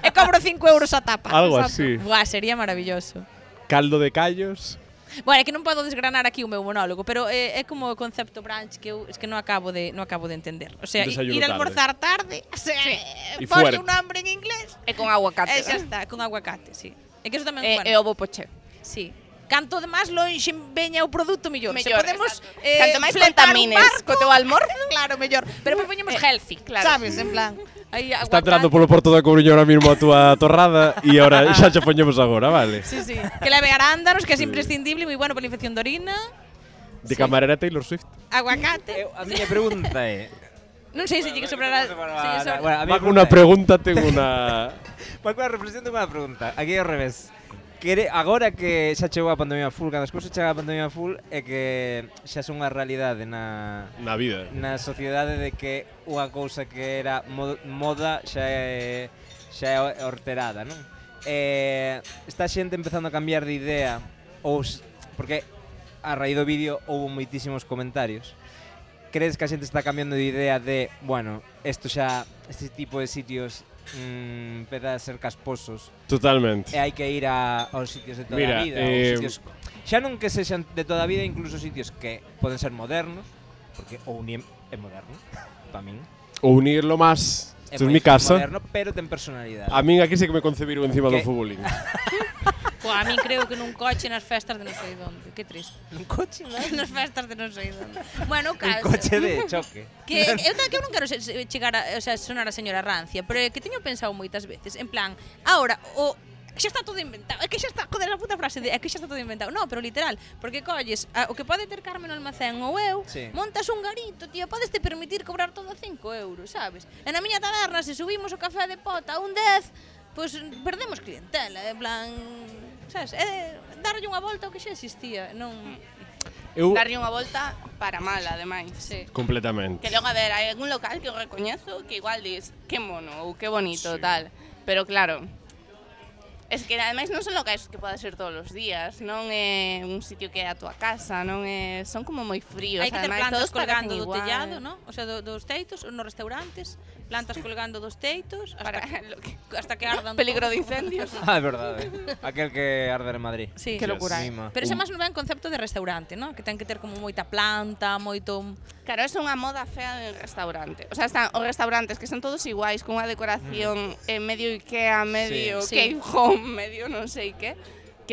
E cobro 5 euros a tapa. Algo Exacto. así. Buah, sería maravilloso. Caldo de callos. Bueno, é que non podo desgranar aquí o meu monólogo, pero é como o concepto brunch que eu es que non acabo de entender. O sea, Desayuno ir a tarde. almorzar tarde, o sea, Y ponle fuerte. un nombre en inglés. E con aguacate. Xa está, con aguacate, sí. É que eso tamén, E bueno, ovo poché. sí. Canto de máis lonxe veña o produto mellor. Se Mellor, podemos exacto. Canto máis fletar un contamines barco, co teu almorzo, claro, mellor. Pero pois poñemos healthy, claro. sabes, en plan. Aí Está entrando polo Porto da Coruña ahora mismo a túa torrada e ahora xa che poñemos agora, vale? Sí, sí. Que leve arándanos, que é imprescindible, moi bueno para a infección de orina. De camarera Taylor Swift. Aguacate. A miña pregunta é... Non sei se lle que sobrará. Bueno, a miña Va con unha pregunta, ten unha... Para coa reflexión tengo unha pregunta. Aquí ao revés. Agora que xa chegou a pandemia full, cando as cousas chegan a pandemia full, é que xa son unha realidade na vida. sociedade de que unha cousa que era moda xa é horterada, non? Está xente empezando a cambiar de idea, porque a raíz do vídeo houve moitísimos comentarios. Crees que a xente está cambiando de idea de, bueno, este tipo de sitios empeza a ser casposos Totalmente. e hai que ir aos sitios de toda Mira, a vida, aos sitios xa non que sexan de toda a vida, incluso sitios que poden ser modernos, porque o Uniem é moderno, para min. O unirlo más. É Isto é moi mi casa. moderno, pero ten personalidade. A min aquí sí que me concebiron encima do Que? futbolín. Pois a min creo que nun coche nas festas de non sei onde. Que triste. Un coche, non? Nas festas de non sei onde. Bueno, o Un caso. coche de choque. Que eu non quero chegar a, o sea, sonar a señora rancia, pero é que teño pensado moitas veces, en plan, ahora xa está todo inventado. É que xa está, joder, a puta frase de é que xa está todo inventado. No, pero literal, porque colles o que pode ter Carmen no almacén ou eu, Sí. montas un garito, tío, podes te permitir cobrar todo a 5 euros, sabes? E na miña taberna, se subimos o café de pota a un 10, pois perdemos clientela, en plan, sabes? Darlle unha volta ao que xa existía, non... Darlle unha volta para mal, ademais. Sí. Completamente. Que logo, a ver, hai algún local que eu recoñezo que igual dis, que mono ou que bonito, tal. Pero claro, es que ademais non son locais que podes ir todos os días, non é un sitio que é a tua casa, non é, son como moi fríos, Hai que ter ademais plantas todos parecen colgando do igual. tellado, ¿no? O sea, dos teitos, nos restaurantes, plantas colgando dos teitos Para lo que hasta que ardan. peligro de todo. incendios. Ah, é verdade. Aquel que arde en Madrid. Sí. Que locura. Mima. Pero ese máis non é un concepto de restaurante, ¿no? Que ten que ter como moita planta, moito... Claro, é unha moda fea de restaurante. O sea, están os restaurantes que son todos iguais, con unha decoración medio Ikea, medio Sí. Cave Home, medio non sei que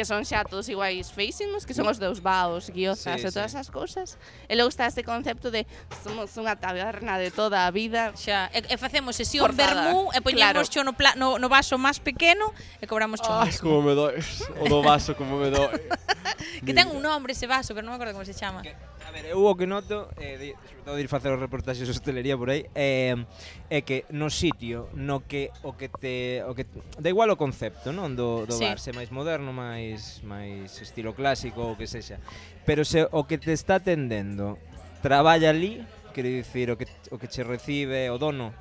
son xa todos iguais feísimos, que son os deus baos, guiozas Sí, e todas sí. esas cousas. E logo está este concepto de somos unha taberna de toda a vida. Xa, e facemos sesión Forzada. vermú e poñemos Claro. no vaso máis pequeno e cobramos cho Ai, mesmo. como me does. O do vaso, como me does. Que ten un nombre ese vaso, pero non me acordo como se chama. A ver, eu o que noto, sobre todo de ir facer os reportaxes de hostelería por aí, é que no sitio no que o que da igual o concepto, non, do Sí. bar, se máis moderno, máis estilo clásico ou que sexa, pero se o que te está atendendo traballa ali, quero dicir, o que che recibe o dono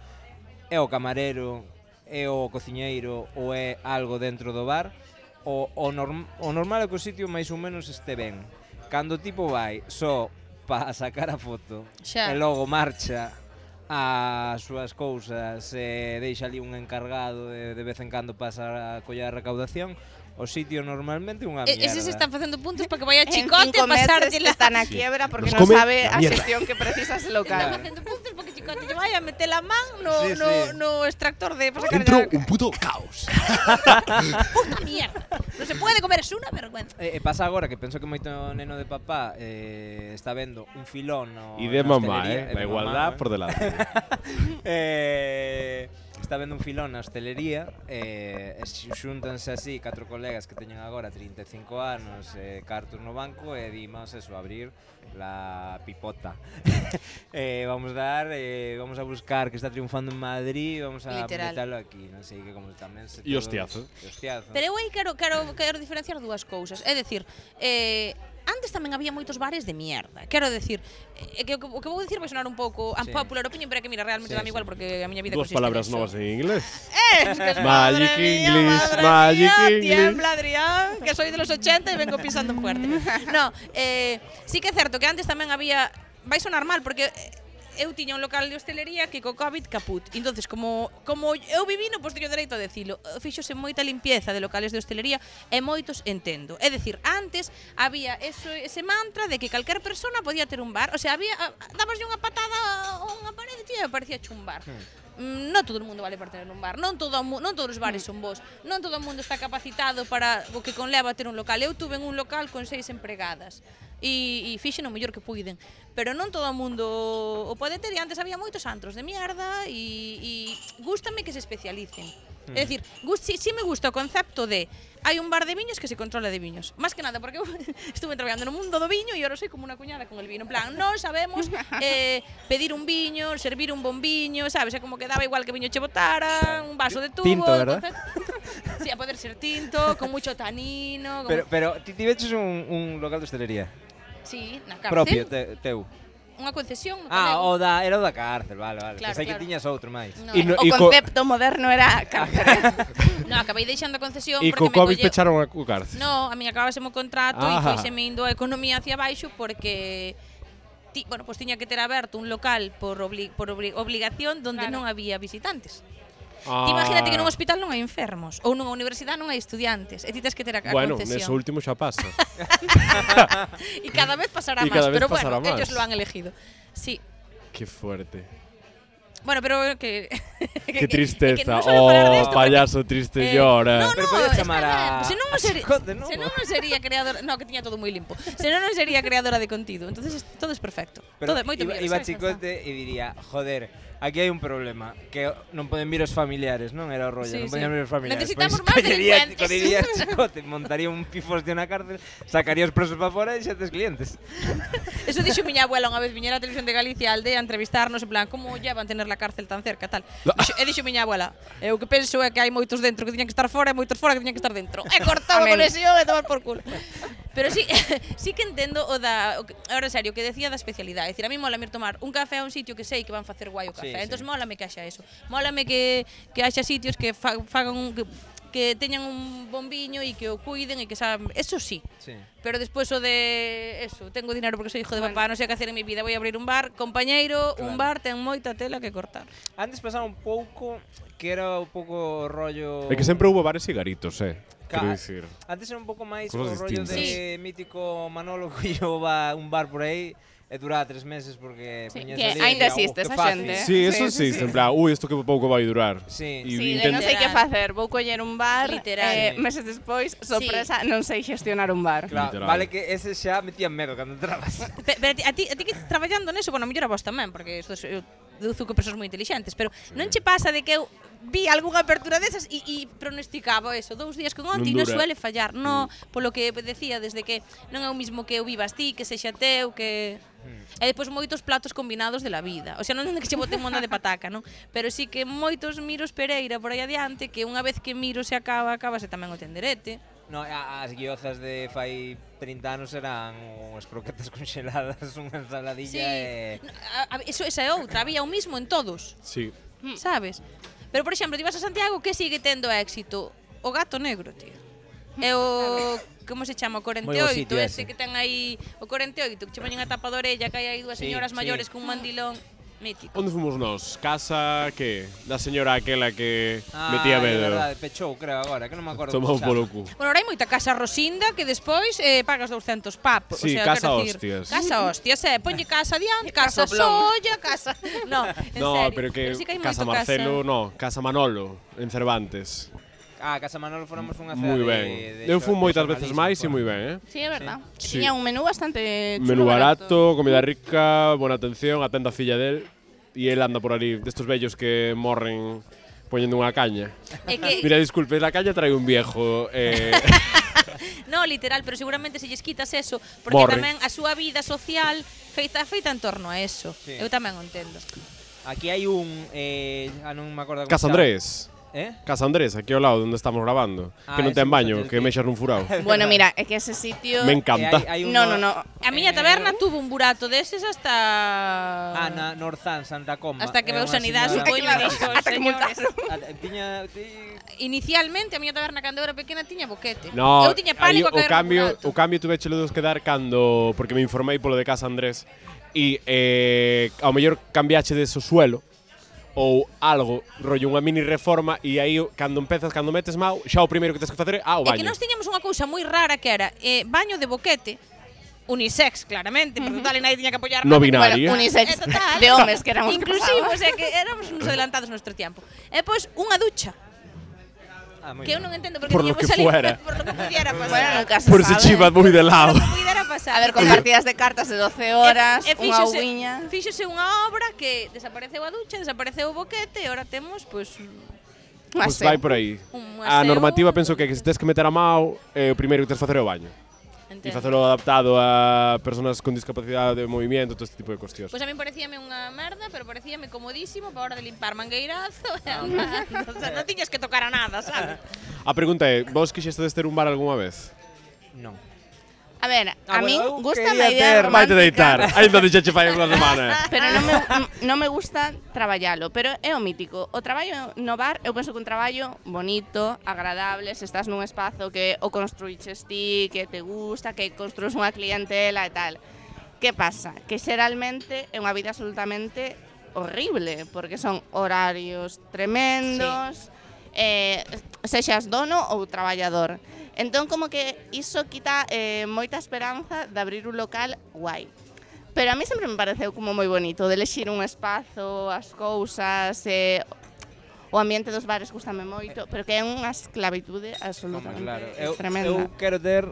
é o camarero, é o cociñeiro ou é algo dentro do bar, o normal é que o sitio máis ou menos este ben. Cando o tipo vai só para sacar a foto Xa. e logo marcha as súas cousas e deixa ali un encargado de vez en cando pasa a coller a recaudación, o sitio normalmente é unha mierda. Eses están facendo puntos para que vai a En Chicote 5 a pasar meses de la... está na quiebra porque Nos non come sabe la a mierda. xestión que precisa ese Están local. facendo puntos porque Chicote lle vai a meter a man no, Sí, no, sí. no extractor de... para sacar Dentro a- un puto caos. Puta mierda. No se puede comer, es una vergüenza. Pasa agora que penso que moito neno de papá está vendo un filón E de mamá, La igualdad por delante. Está vendo un filón na hostelería e xúntanse así 4 colegas que teñen agora 35 anos cartos no banco e dimos eso, abrir la pipota. Vamos a buscar que está triunfando en Madrid, vamos a Literal. meterlo aquí, non sei que como tamén se E hostiazo. Pero eu aí quero diferenciar dúas cousas. É dicir, antes tamén había moitos bares de mierda. Quero decir, que o que vou dicir vai sonar un pouco Sí. unpopular opinion, pero é que mira, realmente Sí, dame sí. igual porque a miña vida Dos consiste palabras neso. novas en inglés. Es que Magic madre mía, English, madre Magic mía, English. Tiembla, Adrián, que que soy de los 80 e vengo pisando fuerte. No, sí que é certo que antes tamén había... Vai sonar mal, porque eu tiña un local de hostelería que co COVID caput. Entonces, como eu vivino, pois teño dereito a decilo. Fíxose moita limpieza de locales de hostelería e moitos entendo. É dicir, antes había ese mantra de que calquer persona podía ter un bar. O sea, dabaslle unha patada a unha parede e parecía un bar. Non todo o mundo vale para ter un bar, non todos os bares son bons, non todo o mundo está capacitado para o que conleva ter un local. Eu tuve un local con 6 empregadas e fixen o mellor que puiden, pero non todo o mundo o pode ter, e antes había moitos antros de mierda e gústame que se especialicen. É dicir, si me gusta o concepto de hai un bar de viños que se controla de viños. Más que nada, porque eu estuve traballando no mundo do viño e ahora soy como unha cuñada con el vino. En plan, non sabemos pedir un viño, servir un bon viño, sabes? É como que daba igual que viño che botara, un vaso de tubo. Tinto, ¿verdad? Sí, a poder ser tinto, con mucho tanino. Pero ti veches un local de hostelería? Sí, na cárcel. Propio, teu. Unha concesión. Era o da cárcel, vale. Claro, Pensei que tiñas outro máis. No, O concepto moderno era cárcere. No, acabei deixando a concesión E porque co COVID pecharon a cárcel. No, a min acabáseme o contrato e foiseme indo a economía hacia baixo porque pues tiña que ter aberto un local por obligación donde non había visitantes. Ti imagínate que nun hospital non hai enfermos ou nunha universidade non hai estudiantes e ti tens que ter a Bueno, concesión. neso último xa pasa. E cada vez pasará Y máis, cada vez pero pasará bueno, más. ellos lo han elegido. Sí. Qué fuerte. Bueno, pero que Qué tristeza. non suelo falar de esto Payaso triste llora. Pero podía chamar a Se non sería, Chicote, non? se non sería creadora, no, que tiña todo moi limpo. Se non sería creadora de contido. Entonces todo es perfecto. Pero Todo é moito mellor, iba sabes? Chicote e diría, joder, aquí hai un problema, que non poden vir os familiares, non? Era o rollo, Sí, non sí. podían vir os familiares. Necesitamos Pois máis collería delincuentes. Chicote, montaría un pifostio na cárcel, sacaría os presos para fora e xa tes clientes. Eso dixo miña abuela unha vez, viñera a Televisión de Galicia a aldea a entrevistarnos, en plan, como llevan tener la cárcel tan cerca, tal. E dixo miña abuela, eu que penso é que hai moitos dentro que tiñan que estar fora e moitos fora que tiñan que estar dentro. E cortado a conexión e tomar por culo. Pero sí que entendo ahora en serio, o que decía da especialidade. É dicir, a mí mola mir tomar un café a un sitio que sei que van facer guai o café. Sí, Entón mólame que haxa eso. Mólame que haxa sitios que fagan que teñan un bon viño e que o cuiden e que saben, eso sí. Pero despois o de eso, tengo dinero porque soy hijo de papá, non sei que hacer en mi vida, voy a abrir un bar, compañeiro, un bar ten moita tela que cortar. Antes pasaba un pouco que era un pouco rollo... É que sempre houve bares e garitos, quero dicir. Antes era un pouco máis o Cosas rollo distintas. de mítico Manolo que llevaba un bar por aí e duraba 3 meses porque Sí, poñías que ali e aínda dicía, existe que esa fácil. xente. Sí, eso existe, en plan, isto que pouco vai durar. Sí. E Sí, intent- non sei que facer, vou coller un bar, Literal. meses despois, sorpresa, non sei xestionar un bar. Claro, Literal. vale que ese xa metían medo cando entrabas. Pero a ti que traballando neso, bueno, mellor a vos tamén, porque eu deduzo que persoas moi intelixentes, pero non che pasa de que eu vi algunha apertura desas e pronosticaba eso, 2 días con onte e non dura. suele fallar. No, polo que decía, desde que non é o mismo que eu vivas ti, que sexa teu, que... E depois moitos platos combinados de la vida. O sea, non é que che bote monda de pataca, non? Pero sí que moitos miros Pereira por aí adiante, que unha vez que miro se acabase tamén o tenderete. No, as guiozas de fai 30 anos eran unhas croquetas congeladas, unha ensaladilla e... Esa é outra, había o mismo en todos. Sí. Sabes? Pero, por exemplo, ti vas a Santiago, que sigue tendo éxito? O gato negro, tío. É o... Como se chama? O 48, Moi bo sitio ese ese. que ten aí... O 48, que che poñen a tapa de orella, que hai aí dúas Sí, señoras sí. maiores con un mandilón mítico. Onde fomos nós? Casa, que? Da señora aquela que É metía medo. verdade, pechou, creo, agora, que non me acordo. Tomou como se polo chama. cu. Bueno, ahora hai moita casa rosinda que despois pagas 200 papos. Sí, o sea, casa quero dicir, hostias. Casa hostias, ponlle casa adiante, casa Casa blon. solla, casa... No, en No, serio. pero que sí que hai Casa moito Marcelo, no, Casa Manolo, en Cervantes. Ah, Casa Manolo fomos unha cea Moi de... ben. Eu fui moitas veces máis e moi ben, Sí, é verdad. Sí. Tiña un menú bastante chulo. Menú barato, comida rica, buena atención, atenda a filla del. E el anda por ali, destos vellos que morren poñendo unha caña. É que... Mira, disculpe, la caña trae un viejo. No, literal, pero seguramente se lles quitas eso, porque Morre. tamén a súa vida social feita en torno a eso. Sí. Eu tamén o entendo. Aquí hai un... non me acordo como Casa se chama. Andrés. Casa Andrés, aquí ao lado onde estamos grabando. Que non ese ten baño, gusta que mexas nun furao. Bueno, mira, é que ese sitio... Me encanta. No. A miña taberna tuvo un burato deses hasta... Na Norzán, Santa Comba. Hasta que É veu unha sanidade, señora- supoño, e dixo, Ata que señores... Inicialmente Inicialmente, a miña taberna cando era pequena tiña boquete. No, Eu tiña pánico a caer no burato. o cambio tuvechelo de quedar cando, porque me informei polo de Casa Andrés, e ao mellor cambiache de suelo ou algo, rollo unha mini reforma, e aí cando metes mau, xa o primeiro que tens que facer é o É baño. que nós tiñamos unha cousa moi rara que era baño de boquete, unisex, claramente, porque total, e nadie tiña que apoiar No nada. binario. Bueno, unisex Total. de homes que éramos Inclusivos, que éramos uns adelantados no noso tiempo. E pois unha ducha, que eu non entendo porque Por lo tiñamos que ali fuera. por lo que pudiera pasar. Bueno, nunca se Por se sabe. chiva moi de lado. Por lo que pudiera pasar. A ver, con partidas de cartas de 12 horas, unha uiña... Fíxose unha obra que desapareceu a ducha, desapareceu o boquete, e ahora temos, pois, Pois vai por aí. Un A aseo. normativa penso que se tes que meter a mau, o primeiro que tens que facer é o baño. E entendo. facelo adaptado a persoas con discapacidade de movimento, todo este tipo de cuestións. Pois a min parecíame unha merda, pero parecíame comodísimo para a hora de limpar mangueirazo e andando. O sea, non tiñas que tocar a nada, sabes? A pregunta é, vos quixestes ter un bar algunha vez? Non. A ver, a min bueno, eu gusta quería a idea ter- Vaite romántica, deitar, ainda dixeche fai unha semana. pero non me gusta traballalo, pero é o mítico. O traballo no bar, eu penso que un traballo bonito, agradable, se estás nun espazo que o construíches ti, que te gusta, que construís unha clientela e tal. Que pasa? Que xeralmente é unha vida absolutamente horrible, porque son horarios tremendos, sexas dono ou traballador. Entón, como que iso quita moita esperanza de abrir un local guai. Pero a mí sempre me pareceu como moi bonito, de elexir un espazo, as cousas, o ambiente dos bares gustame moito, pero que é unha esclavitude absolutamente tremenda. Eu quero ter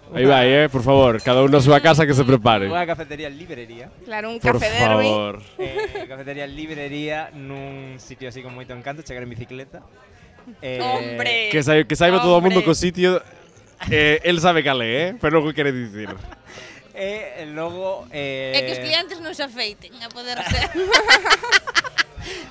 Aí vai, por favor, cada un na súa casa que se prepare. unha cafetería librería. Claro, un Por café derby. favor. Cafetería librería nun sitio así con moito encanto, chegar en bicicleta. Hombre. Que saiba todo o mundo Hombre. co sitio. El sabe cal é, pero non o quere dicir. E logo É que os clientes non se afeiten a poder ser.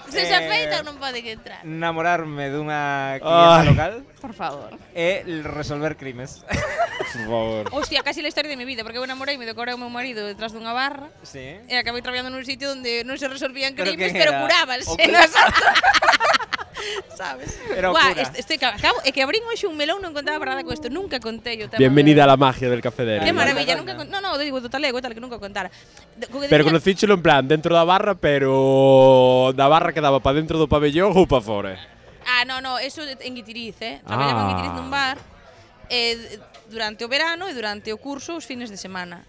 Se se afeitan non poden entrar. namorarme dunha clienta Ai. local Por favor. e resolver crimes. Por favor. Hostia, casi la historia de mi vida, porque eu namoreime do que era o meu marido detrás dunha barra Sí. e acabei traballando nun sitio onde non se resolvían Pero crimes, quen pero era? curábanse. O que- Sabes? Era o Buah, cura. estoy acabo, é que abrín hoxe un melón, non contaba para nada con isto, nunca contei o tema. Bienvenida a la magia del café de Qué Derby. maravilla, Anda. nunca no, digo do talego e tal que nunca contara. Pero conocíchelo en plan dentro da barra, pero da barra que daba para dentro do pabellón ou para fora. No, eso en Guitiriz, Traballaba en Guitiriz nun bar durante o verano e durante o curso os fines de semana.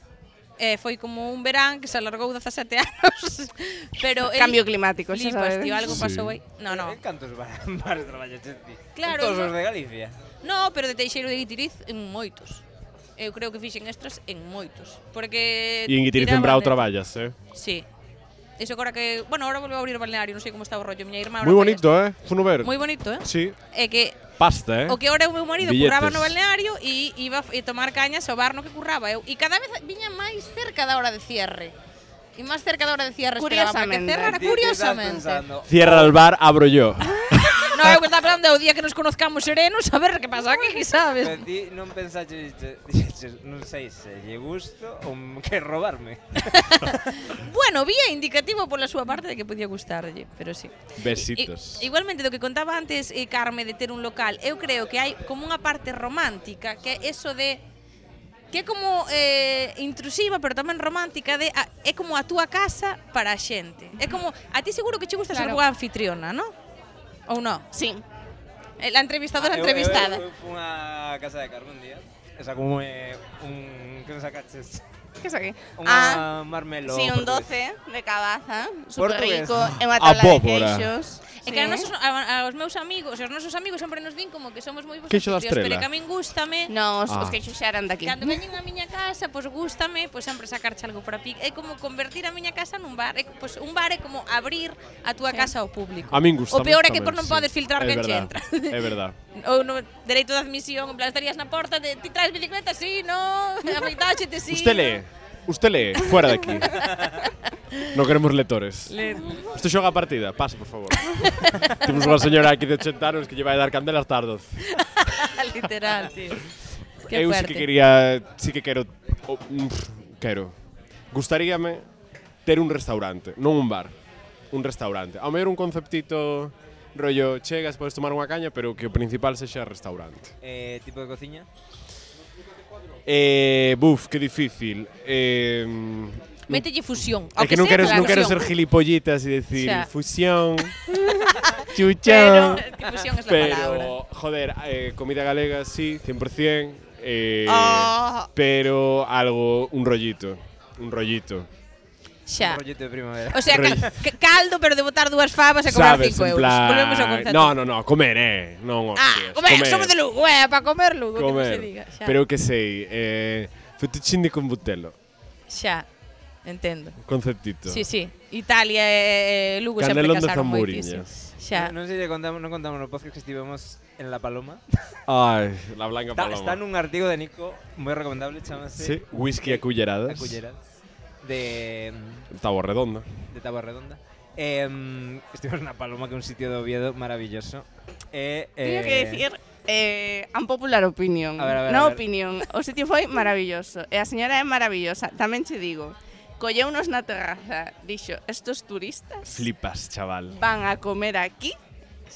Foi como un verán que se alargou 17 anos. Pero Cambio climático, xa flipas, sabedes. tío, algo Sí. pasou aí. No. En cantos bares traballaste ti? Claro, En todos no. os de Galicia. No, pero de Teixeiro de Guitiriz en moitos. Eu creo que fixen extras en moitos. Porque E en Guitiriz en tiraban Brao de- traballas, Sí. Eso agora que, bueno, ahora volveu a abrir o balneario, non sei como está o rollo, miña irmá. Moi bonito, Funo ver. Moi bonito, Sí. É que Pasta, o que ahora o meu marido Billetes. curraba no balneario e iba a tomar cañas ao bar no que curraba eu. E cada vez viña máis cerca da hora de cierre. E máis cerca da hora de cierre esperaba para que Curiosamente. cerrara Ti estás curiosamente. pensando, Cierra el bar, abro yo. No, eu estaba falando o día que nos conozcamos serenos, a ver que pasa aquí, sabes? pero ti non pensaches, dixeches, non sei se lle gusto ou que robarme. Bueno, vía indicativo pola súa parte de que podía gustarlle, pero sí. Besitos. Igualmente, do que contaba antes Carme de ter un local, eu creo que hai como unha parte romántica, que é eso de que é como intrusiva, pero tamén romántica, é como a túa casa para a xente. É como, a ti seguro que che gusta ser Claro. boa anfitriona, non? Ou non? Sí. La entrevistadora entrevistada. Eu fui unha casa de Carmen un día. Esa como un que nos sacaches. Que es aquí? Unha marmelo. Sí, un portugués. 12 de cabaza, super Portugués. rico, e unha A tabla de pólvora. queixos. É que aos meus amigos, os nosos amigos sempre nos din como que somos moi bons Queixo da anfitrións, pero estrela. que a min gústame. No, os Ah. queixos xa eran daqui. Cando veñen a miña casa, pois gústame, pois sempre sacarche algo para pic. É como convertir a miña casa nun bar. Pois un bar é como abrir a túa casa ao público. A min gusta. O peor é que por non podes filtrar quen che entra. É verdad. Ou no dereito de admisión, en plan estarías na porta de ti traes bicicleta, sí, no, afeitáchete, sí. Usted lee. Usted lee. Fuera de aquí. Non queremos lectores. Isto xoga a partida, pasa, por favor. Temos unha señora aquí de 80 anos que lle vai dar candela hasta as 12. Literal, tío. Qué Eu sí fuerte. que quería, quero. Gustaríame ter un restaurante, non un bar, un restaurante. Ao mellor un conceptito rollo chegas, podes tomar unha caña, pero que o principal sexa restaurante. Tipo de cociña? Que difícil. Mételle fusión. É que non quero ser gilipollitas e decir Xa. fusión, Pero, chuchón. fusión es la palabra. Pero, joder, comida galega sí, 100%, pero un rollito. Xa. Un rollito de primavera. O sea, caldo, pero de botar 2 favas e cobrar 5 euros. Volvemos ao concepto. No, comer, non hostias. Comer, somos de Lugo, para comer Lugo, que non se Comer. diga. Xa. Pero que sei, fettuccine con butelo, Xa, entendo. conceptito. Sí. Italia e Lugo sempre Canelón de casaron Zamburiñas. moitísimo. Xa. Non sei se contamos no podcast que estivemos en La Paloma. Ai, la blanca paloma. Está nun artigo de Nico moi recomendable, chamase Sí, whisky a culleradas. De Táboa Redonda. Táboa Redonda. Estivemos na Paloma, que é un sitio de Oviedo maravilloso. Teño que decir unpopular opinion. A ver. Opinión. O sitio foi maravilloso. E a señora é maravillosa. Tamén che digo, colleunos na terraza, dixo, estos turistas Flipas, chaval. van a comer aquí.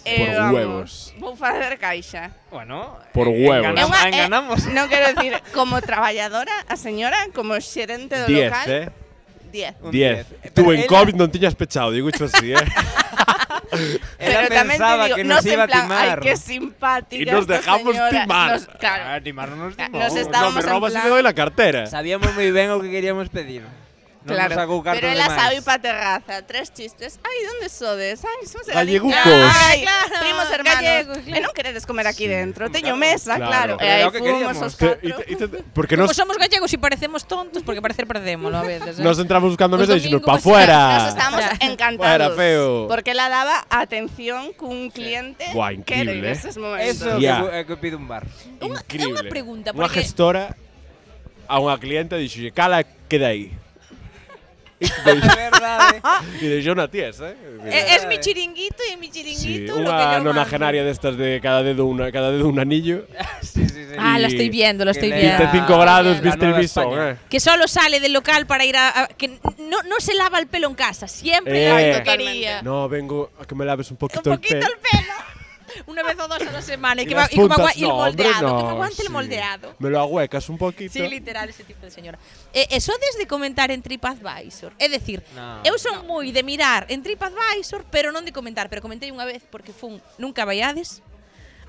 Por huevos. Vou facer caixa. Bueno, Por huevos. enganamos. Non quero decir, como traballadora, a señora, como xerente do 10, local, 10. Un 10. 10. Tú Pero en ela- COVID non tiñas pechado, digo isto así, Pero tamén te pensaba digo, que no nos en iba a plan, timar. ay, qué simpática Y nos esta dejamos señora. timar. Claro, timar non nos timou. Nos No, estábamos me robas en y plan- me doy la cartera. Sabíamos moi ben o que queríamos pedir. Non claro. nos sacou cartos Pero de ela máis. sabe pa terraza, 3 chistes. Ay, ¿dónde sodes? Ay, somos de Gallegucos. Ay, Claro, primos hermanos. gallegos, claro. E non queredes comer aquí dentro, teño mesa, Claro. claro. Pero E aí era o que fomos queríamos. os catro. Porque Como nos somos gallegos e parecemos tontos, porque parecer perdémoslo a veces. nos entramos buscando Os mesa e dixemos, domingos pa vas a- fuera. Nos estábamos Ya. encantados. Fuera, feo. Porque ela daba atención cun cliente Buah, que era increíble, en esos momentos. Eso Ya. é que pide un bar. Increíble. unha pregunta, Unha porque- gestora a unha cliente dixolle, cala, queda aí. É verdade. E deixou na ties, Es mi chiringuito e mi Sí, chiringuito lo que unha yo nonagenaria destas de cada dedo un anillo. Sí. Ah, la estoy viendo, lo Que estoy le- viendo. 25 grados, la viste el Nueva visón, España. Que solo sale del local para ir que no se lava el pelo en casa, siempre Eh. lo quería. No, vengo a que me laves un Un poquito el poquito pelo. el pelo. Una vez o dos a la semana y Y que, las y como puntas, y el no, hombre, moldeado, no, que me aguante el sí. moldeado. Me lo ahuecas un poquito. Sí, literal, ese tipo de señora. Eso desde comentar en TripAdvisor. É dicir, No. eu son moi de mirar en TripAdvisor, pero non de comentar. Pero comentei unha vez porque fun, nunca vaiades,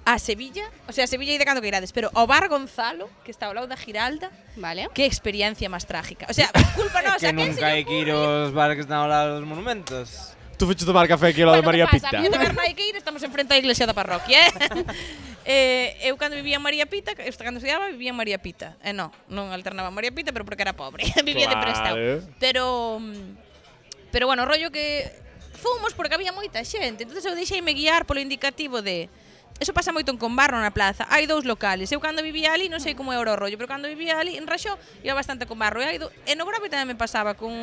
a Sevilla. O sea, a Sevilla e de cando que irades. Pero ao bar Gonzalo, que está ao lado da Giralda, Vale. que experiencia máis trágica. O sea, culpa nosa. Que nunca hai que ir aos bares que están ao lado dos monumentos. Tú fuiste tomar café aquí ao lado de María Pita. A mí de Bernai que ir, estamos enfrente á iglesia da parroquia, eu cando vivía en María Pita, cando estudiaba, vivía en María Pita. Non alternaba en María Pita, pero porque era pobre, vivía de prestado. Pero bueno, rollo que fomos porque había moita xente, entonces eu deixeime guiar polo indicativo de eso pasa moito en Combarro na plaza. Hai 2 locales. Eu cando vivía ali, non sei como era o rollo, pero cando vivía ali en Raxó, iba bastante a Combarro. E no Grove tamén me pasaba con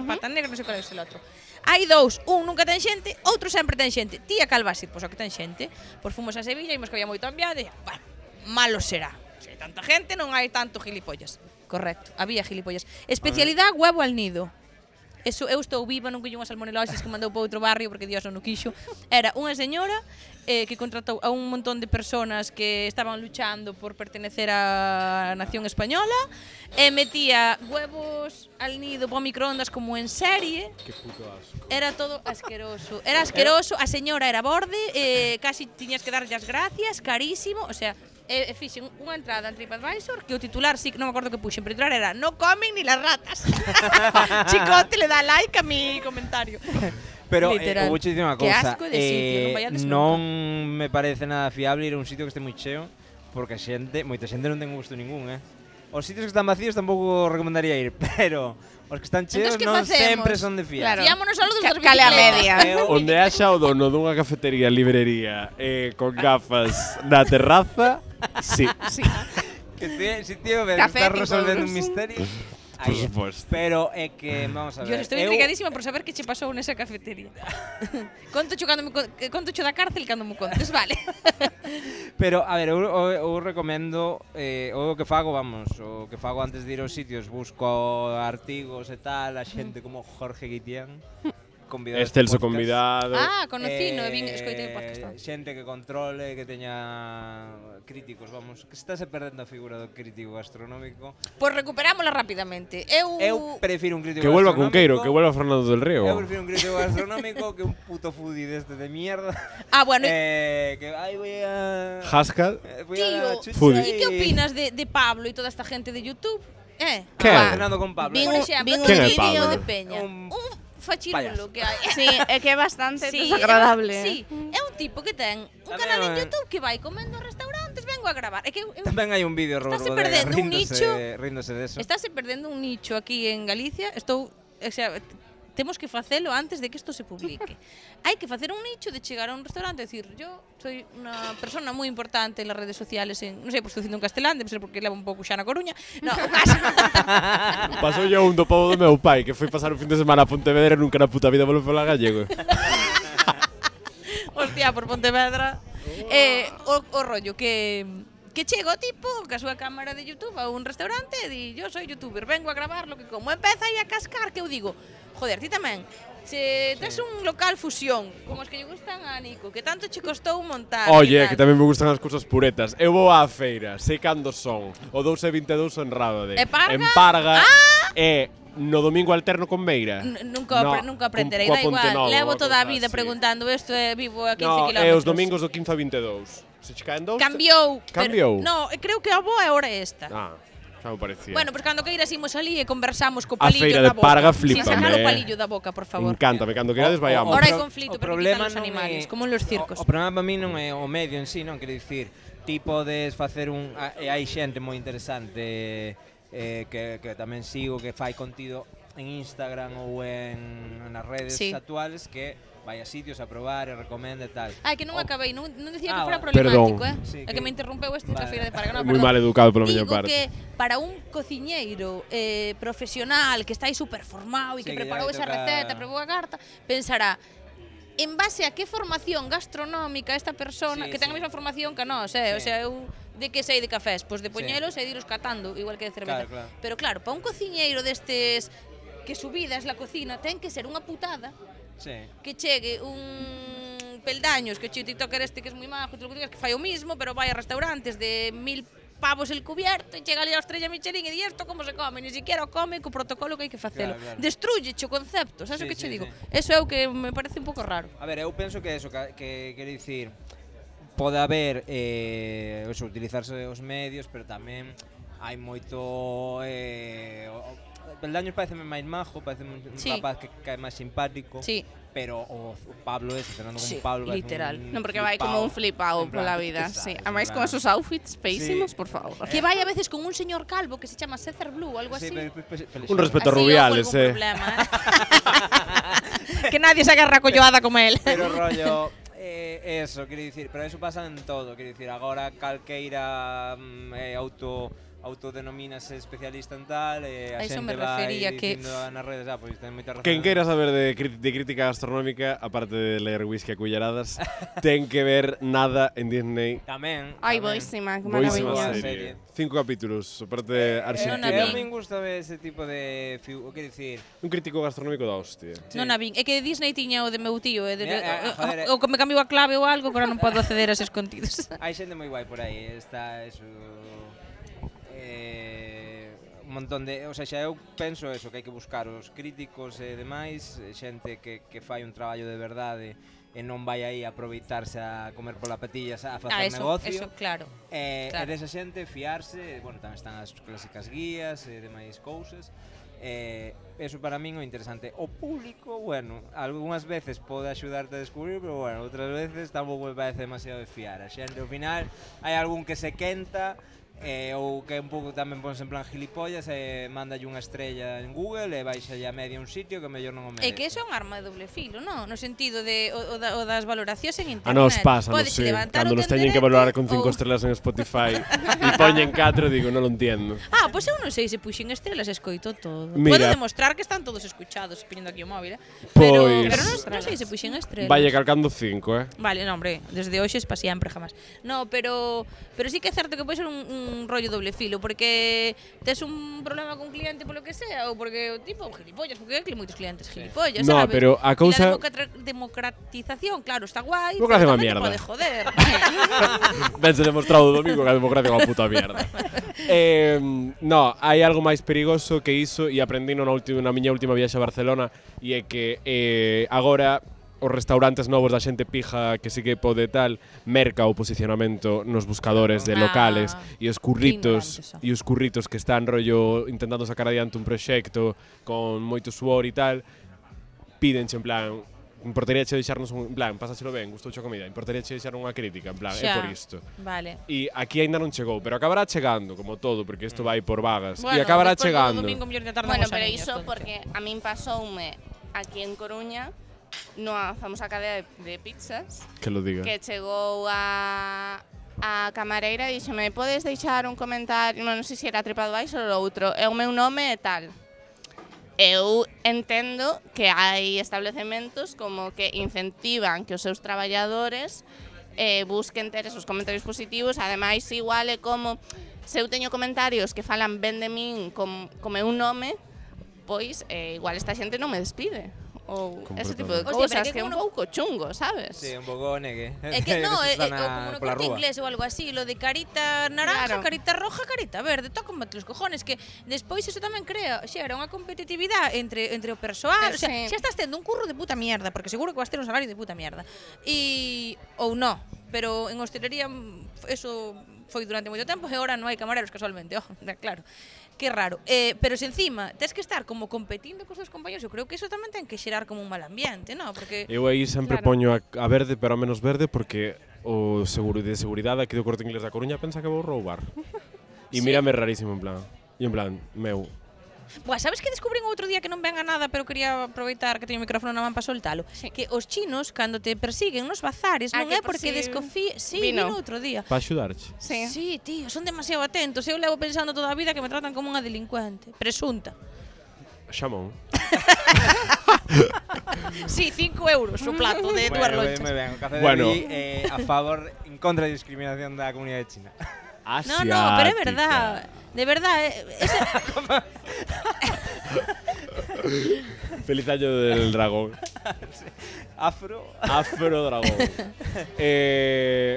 Pata Negra, non sei qual é el outro. Hai 2, un nunca ten xente, outro sempre ten xente. Tía Calvasi, pois o que ten xente. Pois fomos a Sevilla, imos que había moito ambiente, e bueno, malo será. Se hai tanta gente, non hai tanto gilipollas. Correcto, había gilipollas. Especialidade huevo al nido. Eso, eu estou viva, non collo unhas salmoneloses que mandou para outro barrio porque Dios non o quixo. Era unha señora que contratou a un montón de personas que estaban luchando por pertenecer á nación española e metía huevos al nido para microondas como en serie. Que puto asco. Era todo asqueroso. Era asqueroso, a señora era borde, casi tiñas que darlle as gracias, carísimo, o sea, fixen unha entrada en TripAdvisor que o titular, sí, non me acordo que puxen, pero o titular era "No comen ni las ratas". Chicote le da like a mi comentario. Pero Literal. vou che dicir unha Que cousa, asco de sitio, non vaiades non me parece nada fiable ir a un sitio que este moi cheo, porque a xente, moita xente non ten gusto ningún, Os sitios que están vacíos tampouco recomendaría ir, pero os que están cheos Entón, que non facemos? sempre son de fiar. Claro. Fiámonos solo dos das Cale a bicicletas. media. Onde haxa o dono dunha cafetería, librería, con gafas na terraza, sí. Sí. Que si tío, Café está tipo resolvendo un Bruce. misterio. Por suposto. Pero é que, vamos a ver. Yo estou intrigadísima por saber que che pasou nesa cafetería. Conto cho da cárcel cando me contes, vale. Pero, a ver, eu recomendo o que fago, o que fago antes de ir aos sitios, busco artigos e tal, a xente como Jorge Guitián, convidado Excelso convidado. Conocino, e vin escoitei o podcast. Xente que controle, que teña críticos, que estáse perdendo a figura do crítico gastronómico. Pois recuperámola rapidamente. Eu prefiro un crítico Que vuelva gastronómico. Cunqueiro, que vuelva Fernando del Río. Eu prefiro un crítico gastronómico que un puto foodie deste de mierda. Bueno. Que voy a... Haskell. Voy a dar la chucha Foodie. E que opinas de Pablo e toda esta gente de YouTube? Que? Cenando con Pablo. Por exemplo, Quen é vídeo Pablo? de Peña. Un Fachirulo que hai. Sí, é que é bastante Sí, desagradable. Sí, é un tipo que ten un Tamén canal en é- YouTube que vai comendo a restaurantes, vengo a gravar. É que eu Tamén hai un vídeo Estáse Rodrigo perdendo un nicho. Ríndose de eso. estáse perdendo un nicho aquí en Galicia. Temos que facelo antes de que isto se publique. Hai que facer un nicho de chegar a un restaurante e decir, yo soy unha persona moi importante en las redes sociales, non sei por estou dicindo en castelán, debe ser porque levo un pouco xa na Coruña. No, o caso. Pasou yo un do pobo do meu pai, que foi pasar un fin de semana a Pontevedra e nunca na puta vida volve falar gallego. Hostia, por Pontevedra. O rollo que chega o tipo ca súa cámara de YouTube a un restaurante e di, yo soy youtuber, vengo a gravar lo que como. Empeza aí a cascar que eu digo, joder, ti tamén, se tes un local fusión, como os que lle gustan a Nico, que tanto che costou montar. Oye, e tal. que tamén me gustan as cousas puretas. Eu vou á feira, sei cando son. O 2 e 22 en Rábade. E Parga? En Parga e no domingo alterno con Meira. Nunca aprenderei, da igual. Levo toda a vida preguntando isto e vivo a 15 No, kilómetros. e os domingos do 15 a 22. Se che caen dous... Cambiou. Cambiou? No, creo que a boa é hora esta. Ah, xa me parecía. Bueno, pois cando queiras imos ali e conversamos co A palillo feira da de boca. Parga Sin sacar flípame, o palillo da boca, por favor. Encántame, cando querades vayamos. Ahora hai pro- conflito, o pero problema quitan los non animales, é- como en los circos. O problema para mí non é o medio en sí, non quero dicir, ti podes facer e hai xente moi interesante que tamén sigo, que fai contido en Instagram ou nas redes Sí. actuales, que vai a sitios a probar e recomenda e tal. Ai, que non acabei, non decía que Ah, fora vale. problemático, Perdón. Sí, É que me interrompeu este da Vale. feira de Parga, no, Moi perdón. mal educado pola miña Digo parte. que para un cociñeiro profesional que está aí super formado e Sí, que que preparou ya esa toca- receta, preparou a carta, pensará, en base a que formación gastronómica esta persona, Sí, que ten a sí. mesma formación que nós, o Sí. sea, eu de que sei de cafés, pois de Sí. poñelos e de iros catando, igual que de cerveza. Claro, claro. Pero claro, para un cociñeiro destes que su vida es la cocina, ten que ser unha putada Sí. que chegue un peldaños, que che o tiktoker este que es moi majo, te lo que digas, que fai o mismo, pero vai a restaurantes de 1000 pavos el cubierto e chega ali a estrella Michelin e di esto como se come, ni siquiera o come co protocolo que hai que facelo. Claro, claro. Destruye o concepto, sabes o Sí, que che sí, digo? sí. Eso é o que me parece un pouco raro. A ver, eu penso que eso, que quero dicir, pode haber, utilizarse os medios, pero tamén hai moito... Peldaños pareceme máis majo, pareceme un Sí. rapaz que cae máis simpático, Sí. pero o Pablo ese, Fernando Sí, con Pablo, parece literal. Non, porque vai como un flipado En plan, pola ¿qué vida, sabes? sí. En Ademais con plan- esos outfits feísimos, Sí. por favor. Que vai a veces con un señor calvo que se chama César Blue, algo así. Sí, pero Un respeto a Así Rubiales, houbo algún problema, que nadie se agarra colloada como él. Pero rollo, eso, quero dicir, pero eso pasa en todo, quero dicir, agora calqueira autodenomínase especialista en tal, a A iso me xente vai refería que- dicindo nas redes, pois ten moita razón. Quen queira saber de crítica gastronómica, aparte de ler whisky a culleradas, ten que ver Nada en Disney. Tamén. Ai, tamén. boísima, que Boísima maravilla. serie. serie. 5 capítulos, aparte non a argentina. vi. A min gusta ver ese tipo de quero dicir, Un crítico gastronómico da hostia. Non a vin. É que Disney tiña o de meu tío, e Joder, o que me cambiou a clave ou algo, que agora non podo acceder a eses contidos. hai xente moi guai por aí, está eso un montón de, o sea, xa eu penso eso, que hai que buscar os críticos e demais, xente que fai un traballo de verdade e non vai aí a aproveitarse a comer pola patilla a facer negocio. Eso, claro. E Claro. desa xente fiarse, bueno, tamén están as clásicas guías e demais cousas. Eso para min é interesante. O público, bueno, algunhas veces pode axudarte a descubrir, pero bueno, outras veces tampouco me parece demasiado de fiar. A xente, ao final, hai algún que se quenta Ou que un pouco tamén ponse en plan gilipollas e mandalle unha estrella en Google e baixa a media un sitio que mellor non o merece. É que iso é un arma de doble filo, non? No sentido de o das valoracións en internet. A nos pasa, non Pódese sei, levantar cando o nos teñen que valorar con 5 ou- estrelas en Spotify e poñen 4, digo, non lo entiendo. Pois eu non sei se puxen estrelas e escoito todo. Mira. Podo demostrar que están todos escuchados, poñendo aquí o móvil, Pero Pois- non sei se puxen estrelas. Vaya calcando 5, Vale, non, hombre, desde hoxe es pa siempre, jamás. No, pero sí que é certo que pode ser un rollo doble filo, porque tes un problema con un cliente polo que sea, ou porque o tipo gilipollas, porque hai moitos clientes gilipollas, No, sabes? pero a cousa- E a democratización, claro, está guai, Democracia é pero unha tamén te mierda. pode joder. Vense demostrado o domingo que a democracia é unha puta mierda. No, hai algo máis perigoso que iso e aprendino na miña última viaxe a Barcelona e é que agora os restaurantes novos da xente pija que sí que pode tal merca o posicionamento nos buscadores de locales e os curritos ignorantes, e os curritos que están rollo intentando sacar adiante un proxecto con moito suor e tal pídenche en plan importaríache deixarnos en plan, pásachelo ben, gustouche a comida, importaríache deixar unha crítica, en plan, é Xa. por isto. Vale. E aquí aínda non chegou, pero acabará chegando, como todo, porque isto vai por vagas. Bueno, e acabará despois do chegando. domingo, mellor de tarde Bueno, vamos a pero niños, iso entonces. porque a min pasoume aquí en Coruña nunha famosa cadea de pizzas Que lo diga. que chegou a camareira e dixeme, podes deixar un comentario, non sei se era TripAdvisor ou outro, é o meu nome e tal. Eu entendo que hai establecementos como que incentivan que os seus traballadores busquen ter esos comentarios positivos, ademais igual é como se eu teño comentarios que falan ben de min con meu nome, pois igual esta xente non me despide. Ou ese tipo de Hostia, pero cousas que que é un como pouco chungo, sabes? Sí, un pouco negue. É que no, Están como no pola corte rúa. inglés ou algo así, lo de carita naranja, Claro. carita roja, carita verde, tócame los cojones, que despois eso tamén crea, xera unha competitividade entre o persoal, o sea, Sí. xa estás tendo un curro de puta mierda, porque seguro que vas ter un salario de puta mierda. Ou no, pero en hostelería eso foi durante moito tempo e agora non hai camareros casualmente, claro. Que raro. Pero se encima tes que estar como competindo cos teus compañeros, eu creo que eso tamén ten que xerar como un mal ambiente, ¿no? Porque Eu aí sempre Claro. poño a verde, pero a menos verde, porque o seguro de seguridade aquí do Corte Inglés da Coruña pensa que vou roubar. E mírame rarísimo, en plan. E en plan, meu. Buah, sabes que descubrín outro día que non venga nada, pero quería aproveitar que teño o micrófono na man para soltalo? Sí. Que os chinos, cando te persiguen nos bazares, non Que é por porque si desconfíe... Sí, vino. vino outro día. Pa axudarche. Sí. Sí, tío, son demasiado atentos. Eu levo pensando toda a vida que me tratan como unha delincuente. Presunta. Xamón. Sí, 5 euros o plato de dúas lonchas. Moi ben, o café Bueno. de Derby, a favor, en contra da discriminación da comunidade china. No, no, pero é verdad. De verdad, Feliz año del dragón. Afro. Afro dragón.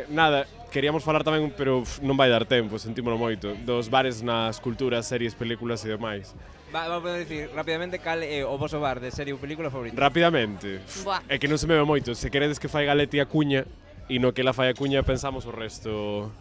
Nada, queríamos falar tamén, pero non vai dar tempo, sentímolo moito, dos bares nas culturas, series, películas e demais. Vamos a decir rapidamente cal é o voso bar de serie ou película favorito. Rapidamente. Buah. É que non se me ve moito. Se queredes que fai Galeti a cuña e no que la fai a cuña pensamos o resto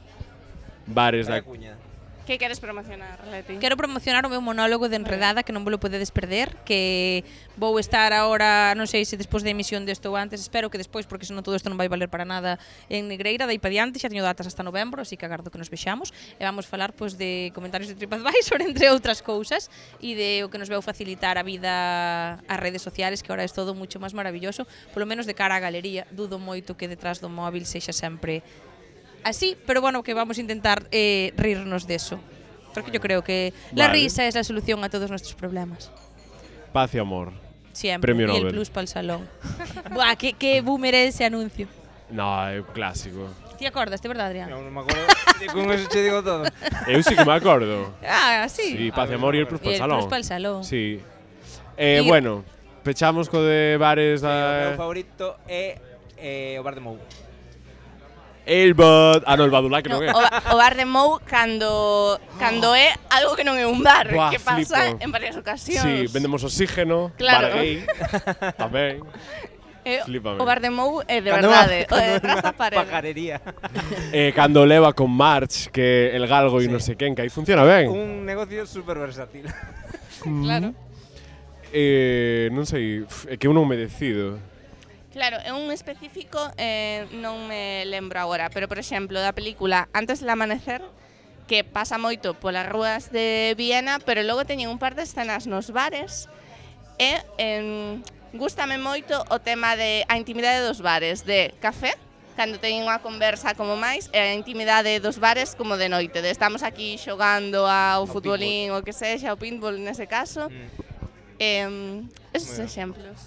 bares da... Cuña. Que queres promocionar, Leti? quero promocionar o meu monólogo de Enredada, que non vos lo podedes perder, que vou estar agora, non sei se despois da emisión desto ou antes, espero que despois, porque senón todo isto non vai valer para nada, en Negreira, dai pa diante, xa teño datas hasta novembro, así que agardo que nos vexamos, e vamos falar pois de comentarios de TripAdvisor, entre outras cousas, e de o que nos veu facilitar a vida ás redes sociales, que agora é todo mucho máis maravilloso, polo menos de cara á galería, dudo moito que detrás do móvil sexa sempre así, pero bueno, que vamos a intentar rirnos de eso. Porque yo creo que la Vale. risa es la solución a todos nuestros problemas. Paz e amor. Siempre. Premio y el Nobel. plus para el salón. Buah, qué boomer es ese anuncio. No, é un clásico. ¿Te acordas, de verdad, Adrián? Non me acordo, con eso che digo todo. Eu sí que me acordo. Ah, sí. Sí, Paz e amor e el plus Y para el salón. plus para el salón. Sí. Y- Bueno, pechamos co de bares O meu da... favorito é o bar de Mou. El Bad... Ah, no, el Badulac non é. O bar de Mou cando é algo que non é un bar, Buah, que pasa flipo. en varias ocasións. Sí, vendemos oxígeno, Claro. bar gay, tamén. Flípame. O bar de Mou é de Cando verdade, o cando de detrás da unha parede. pajarería. Cando leva con March, que el galgo e Sí. non sei quen, que aí funciona ben. Un negocio super versátil. Claro. Non sei, é que eu non me decido. Claro, é un específico non me lembro agora, pero por exemplo, da película Antes del amanecer, que pasa moito polas rúas de Viena, pero logo teñen un par de escenas nos bares e gústame moito o tema de a intimidade dos bares, de café, cando teñen unha conversa como máis, e a intimidade dos bares como de noite, de estamos aquí xogando ao futbolín, o que sexa, ao pinball nese caso. Esos exemplos.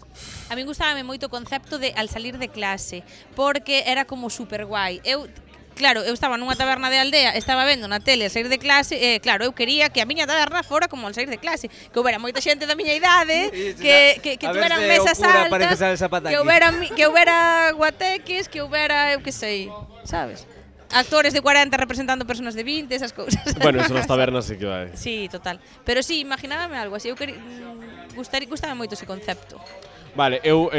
A min gustábame moito o concepto de al salir de clase, porque era como super guai. Claro, eu estaba nunha taberna de aldea, estaba vendo na tele al sair de clase, claro, eu quería que a miña taberna fora como al sair de clase, que houbera moita xente da miña idade, que tuveran mesas altas, que houbera guateques, que houbera, eu que sei, sabes? Actores de 40 representando personas de 20, esas cousas. Bueno, eso nas tabernas sí que vai. Sí, total. Pero sí, imaginábame algo así, eu gustame moito ese concepto. Vale, eu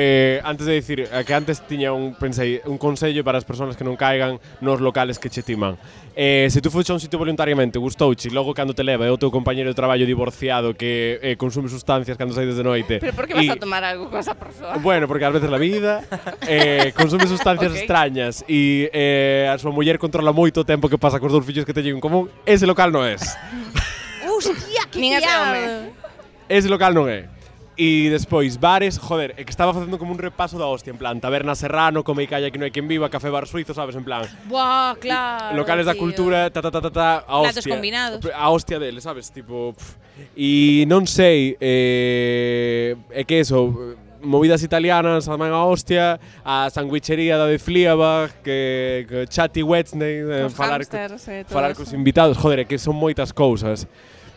antes de dicir que antes tiña pensei un consello para as persoas que non caigan nos locales que che timan. Se tú fuches a un sitio voluntariamente, gustouche, logo cando te leva é o teu compañeiro de traballo divorciado que consume sustancias cando saides de noite. Pero por que vas a tomar algo con esa persoa? Bueno, porque ás veces la vida consume sustancias extrañas e a súa muller controla moito o tempo que pasa cos dous fillos que teñen en común. Ese local non é. Hostia, que Nin ese fiado. home. Ese local non é. E despois, bares, joder, é que estaba facendo como un repaso da hostia, en plan, Taberna Serrano, Come e Calla que non hai quen viva, Café Bar Suizo, sabes, en plan, Buah, claro. locales da tío. cultura, a Platos hostia. combinados. A hostia dele, sabes, tipo, e non sei, é que eso, movidas italianas, tamén a hostia, a sanguichería da de Fliabag, que Chatty Wednesday, Os hamsters, todo falar eso. cos invitados, joder, é que son moitas cousas.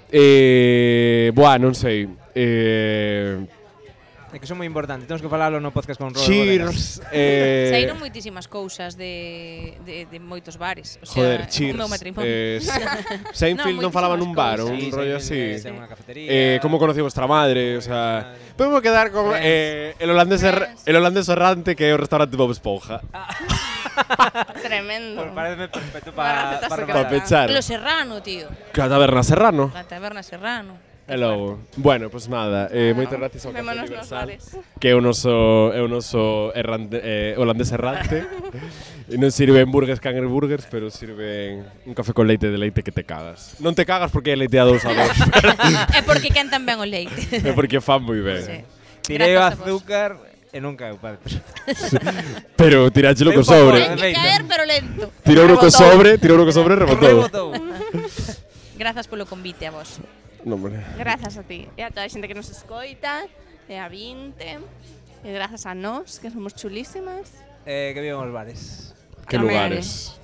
Buah, non sei. É que son moi importante, temos que falalo no podcast con Robert Cheers. Saíron moitísimas cousas de moitos bares. O sea, Joder, cheers. o meu matrimonio. Seinfeld non falaba nun bar, un Sí, rollo sí, así. sí, unha cafetería. Como conocí vuestra madre, o sea, podemos quedar con Friends. el holandés errante que é o restaurante Bob Esponja. Tremendo. Pareceme perfecto Para para Para pechar. Lo Serrano, tío. Que a Taberna Serrano. La taberna Serrano. E logo. Bueno, pues nada, moitas gracias ao Café Vémonos nos Universal, bares. que é o noso holandés errante. E non sirven burgers cangreburgers, pero sirven un café con leite de leite que te cagas. Non te cagas porque é leite a 2 a 2. É porque quentan ben o leite. É porque fan moi ben. Sí. Tirei o Grazas a vos. azúcar e non caeu, padre. Pero tiráchelo co Ten sobre. Ten que caer, pero lento. Tirou co sobre e rebotou. Rebotou. Grazas polo convite a vos. No, hombre. Grazas a ti e a toda a xente que nos escoita, e a 20, e grazas a nós, que somos chulísimas. Que vivan os bares. Que Amén. lugares.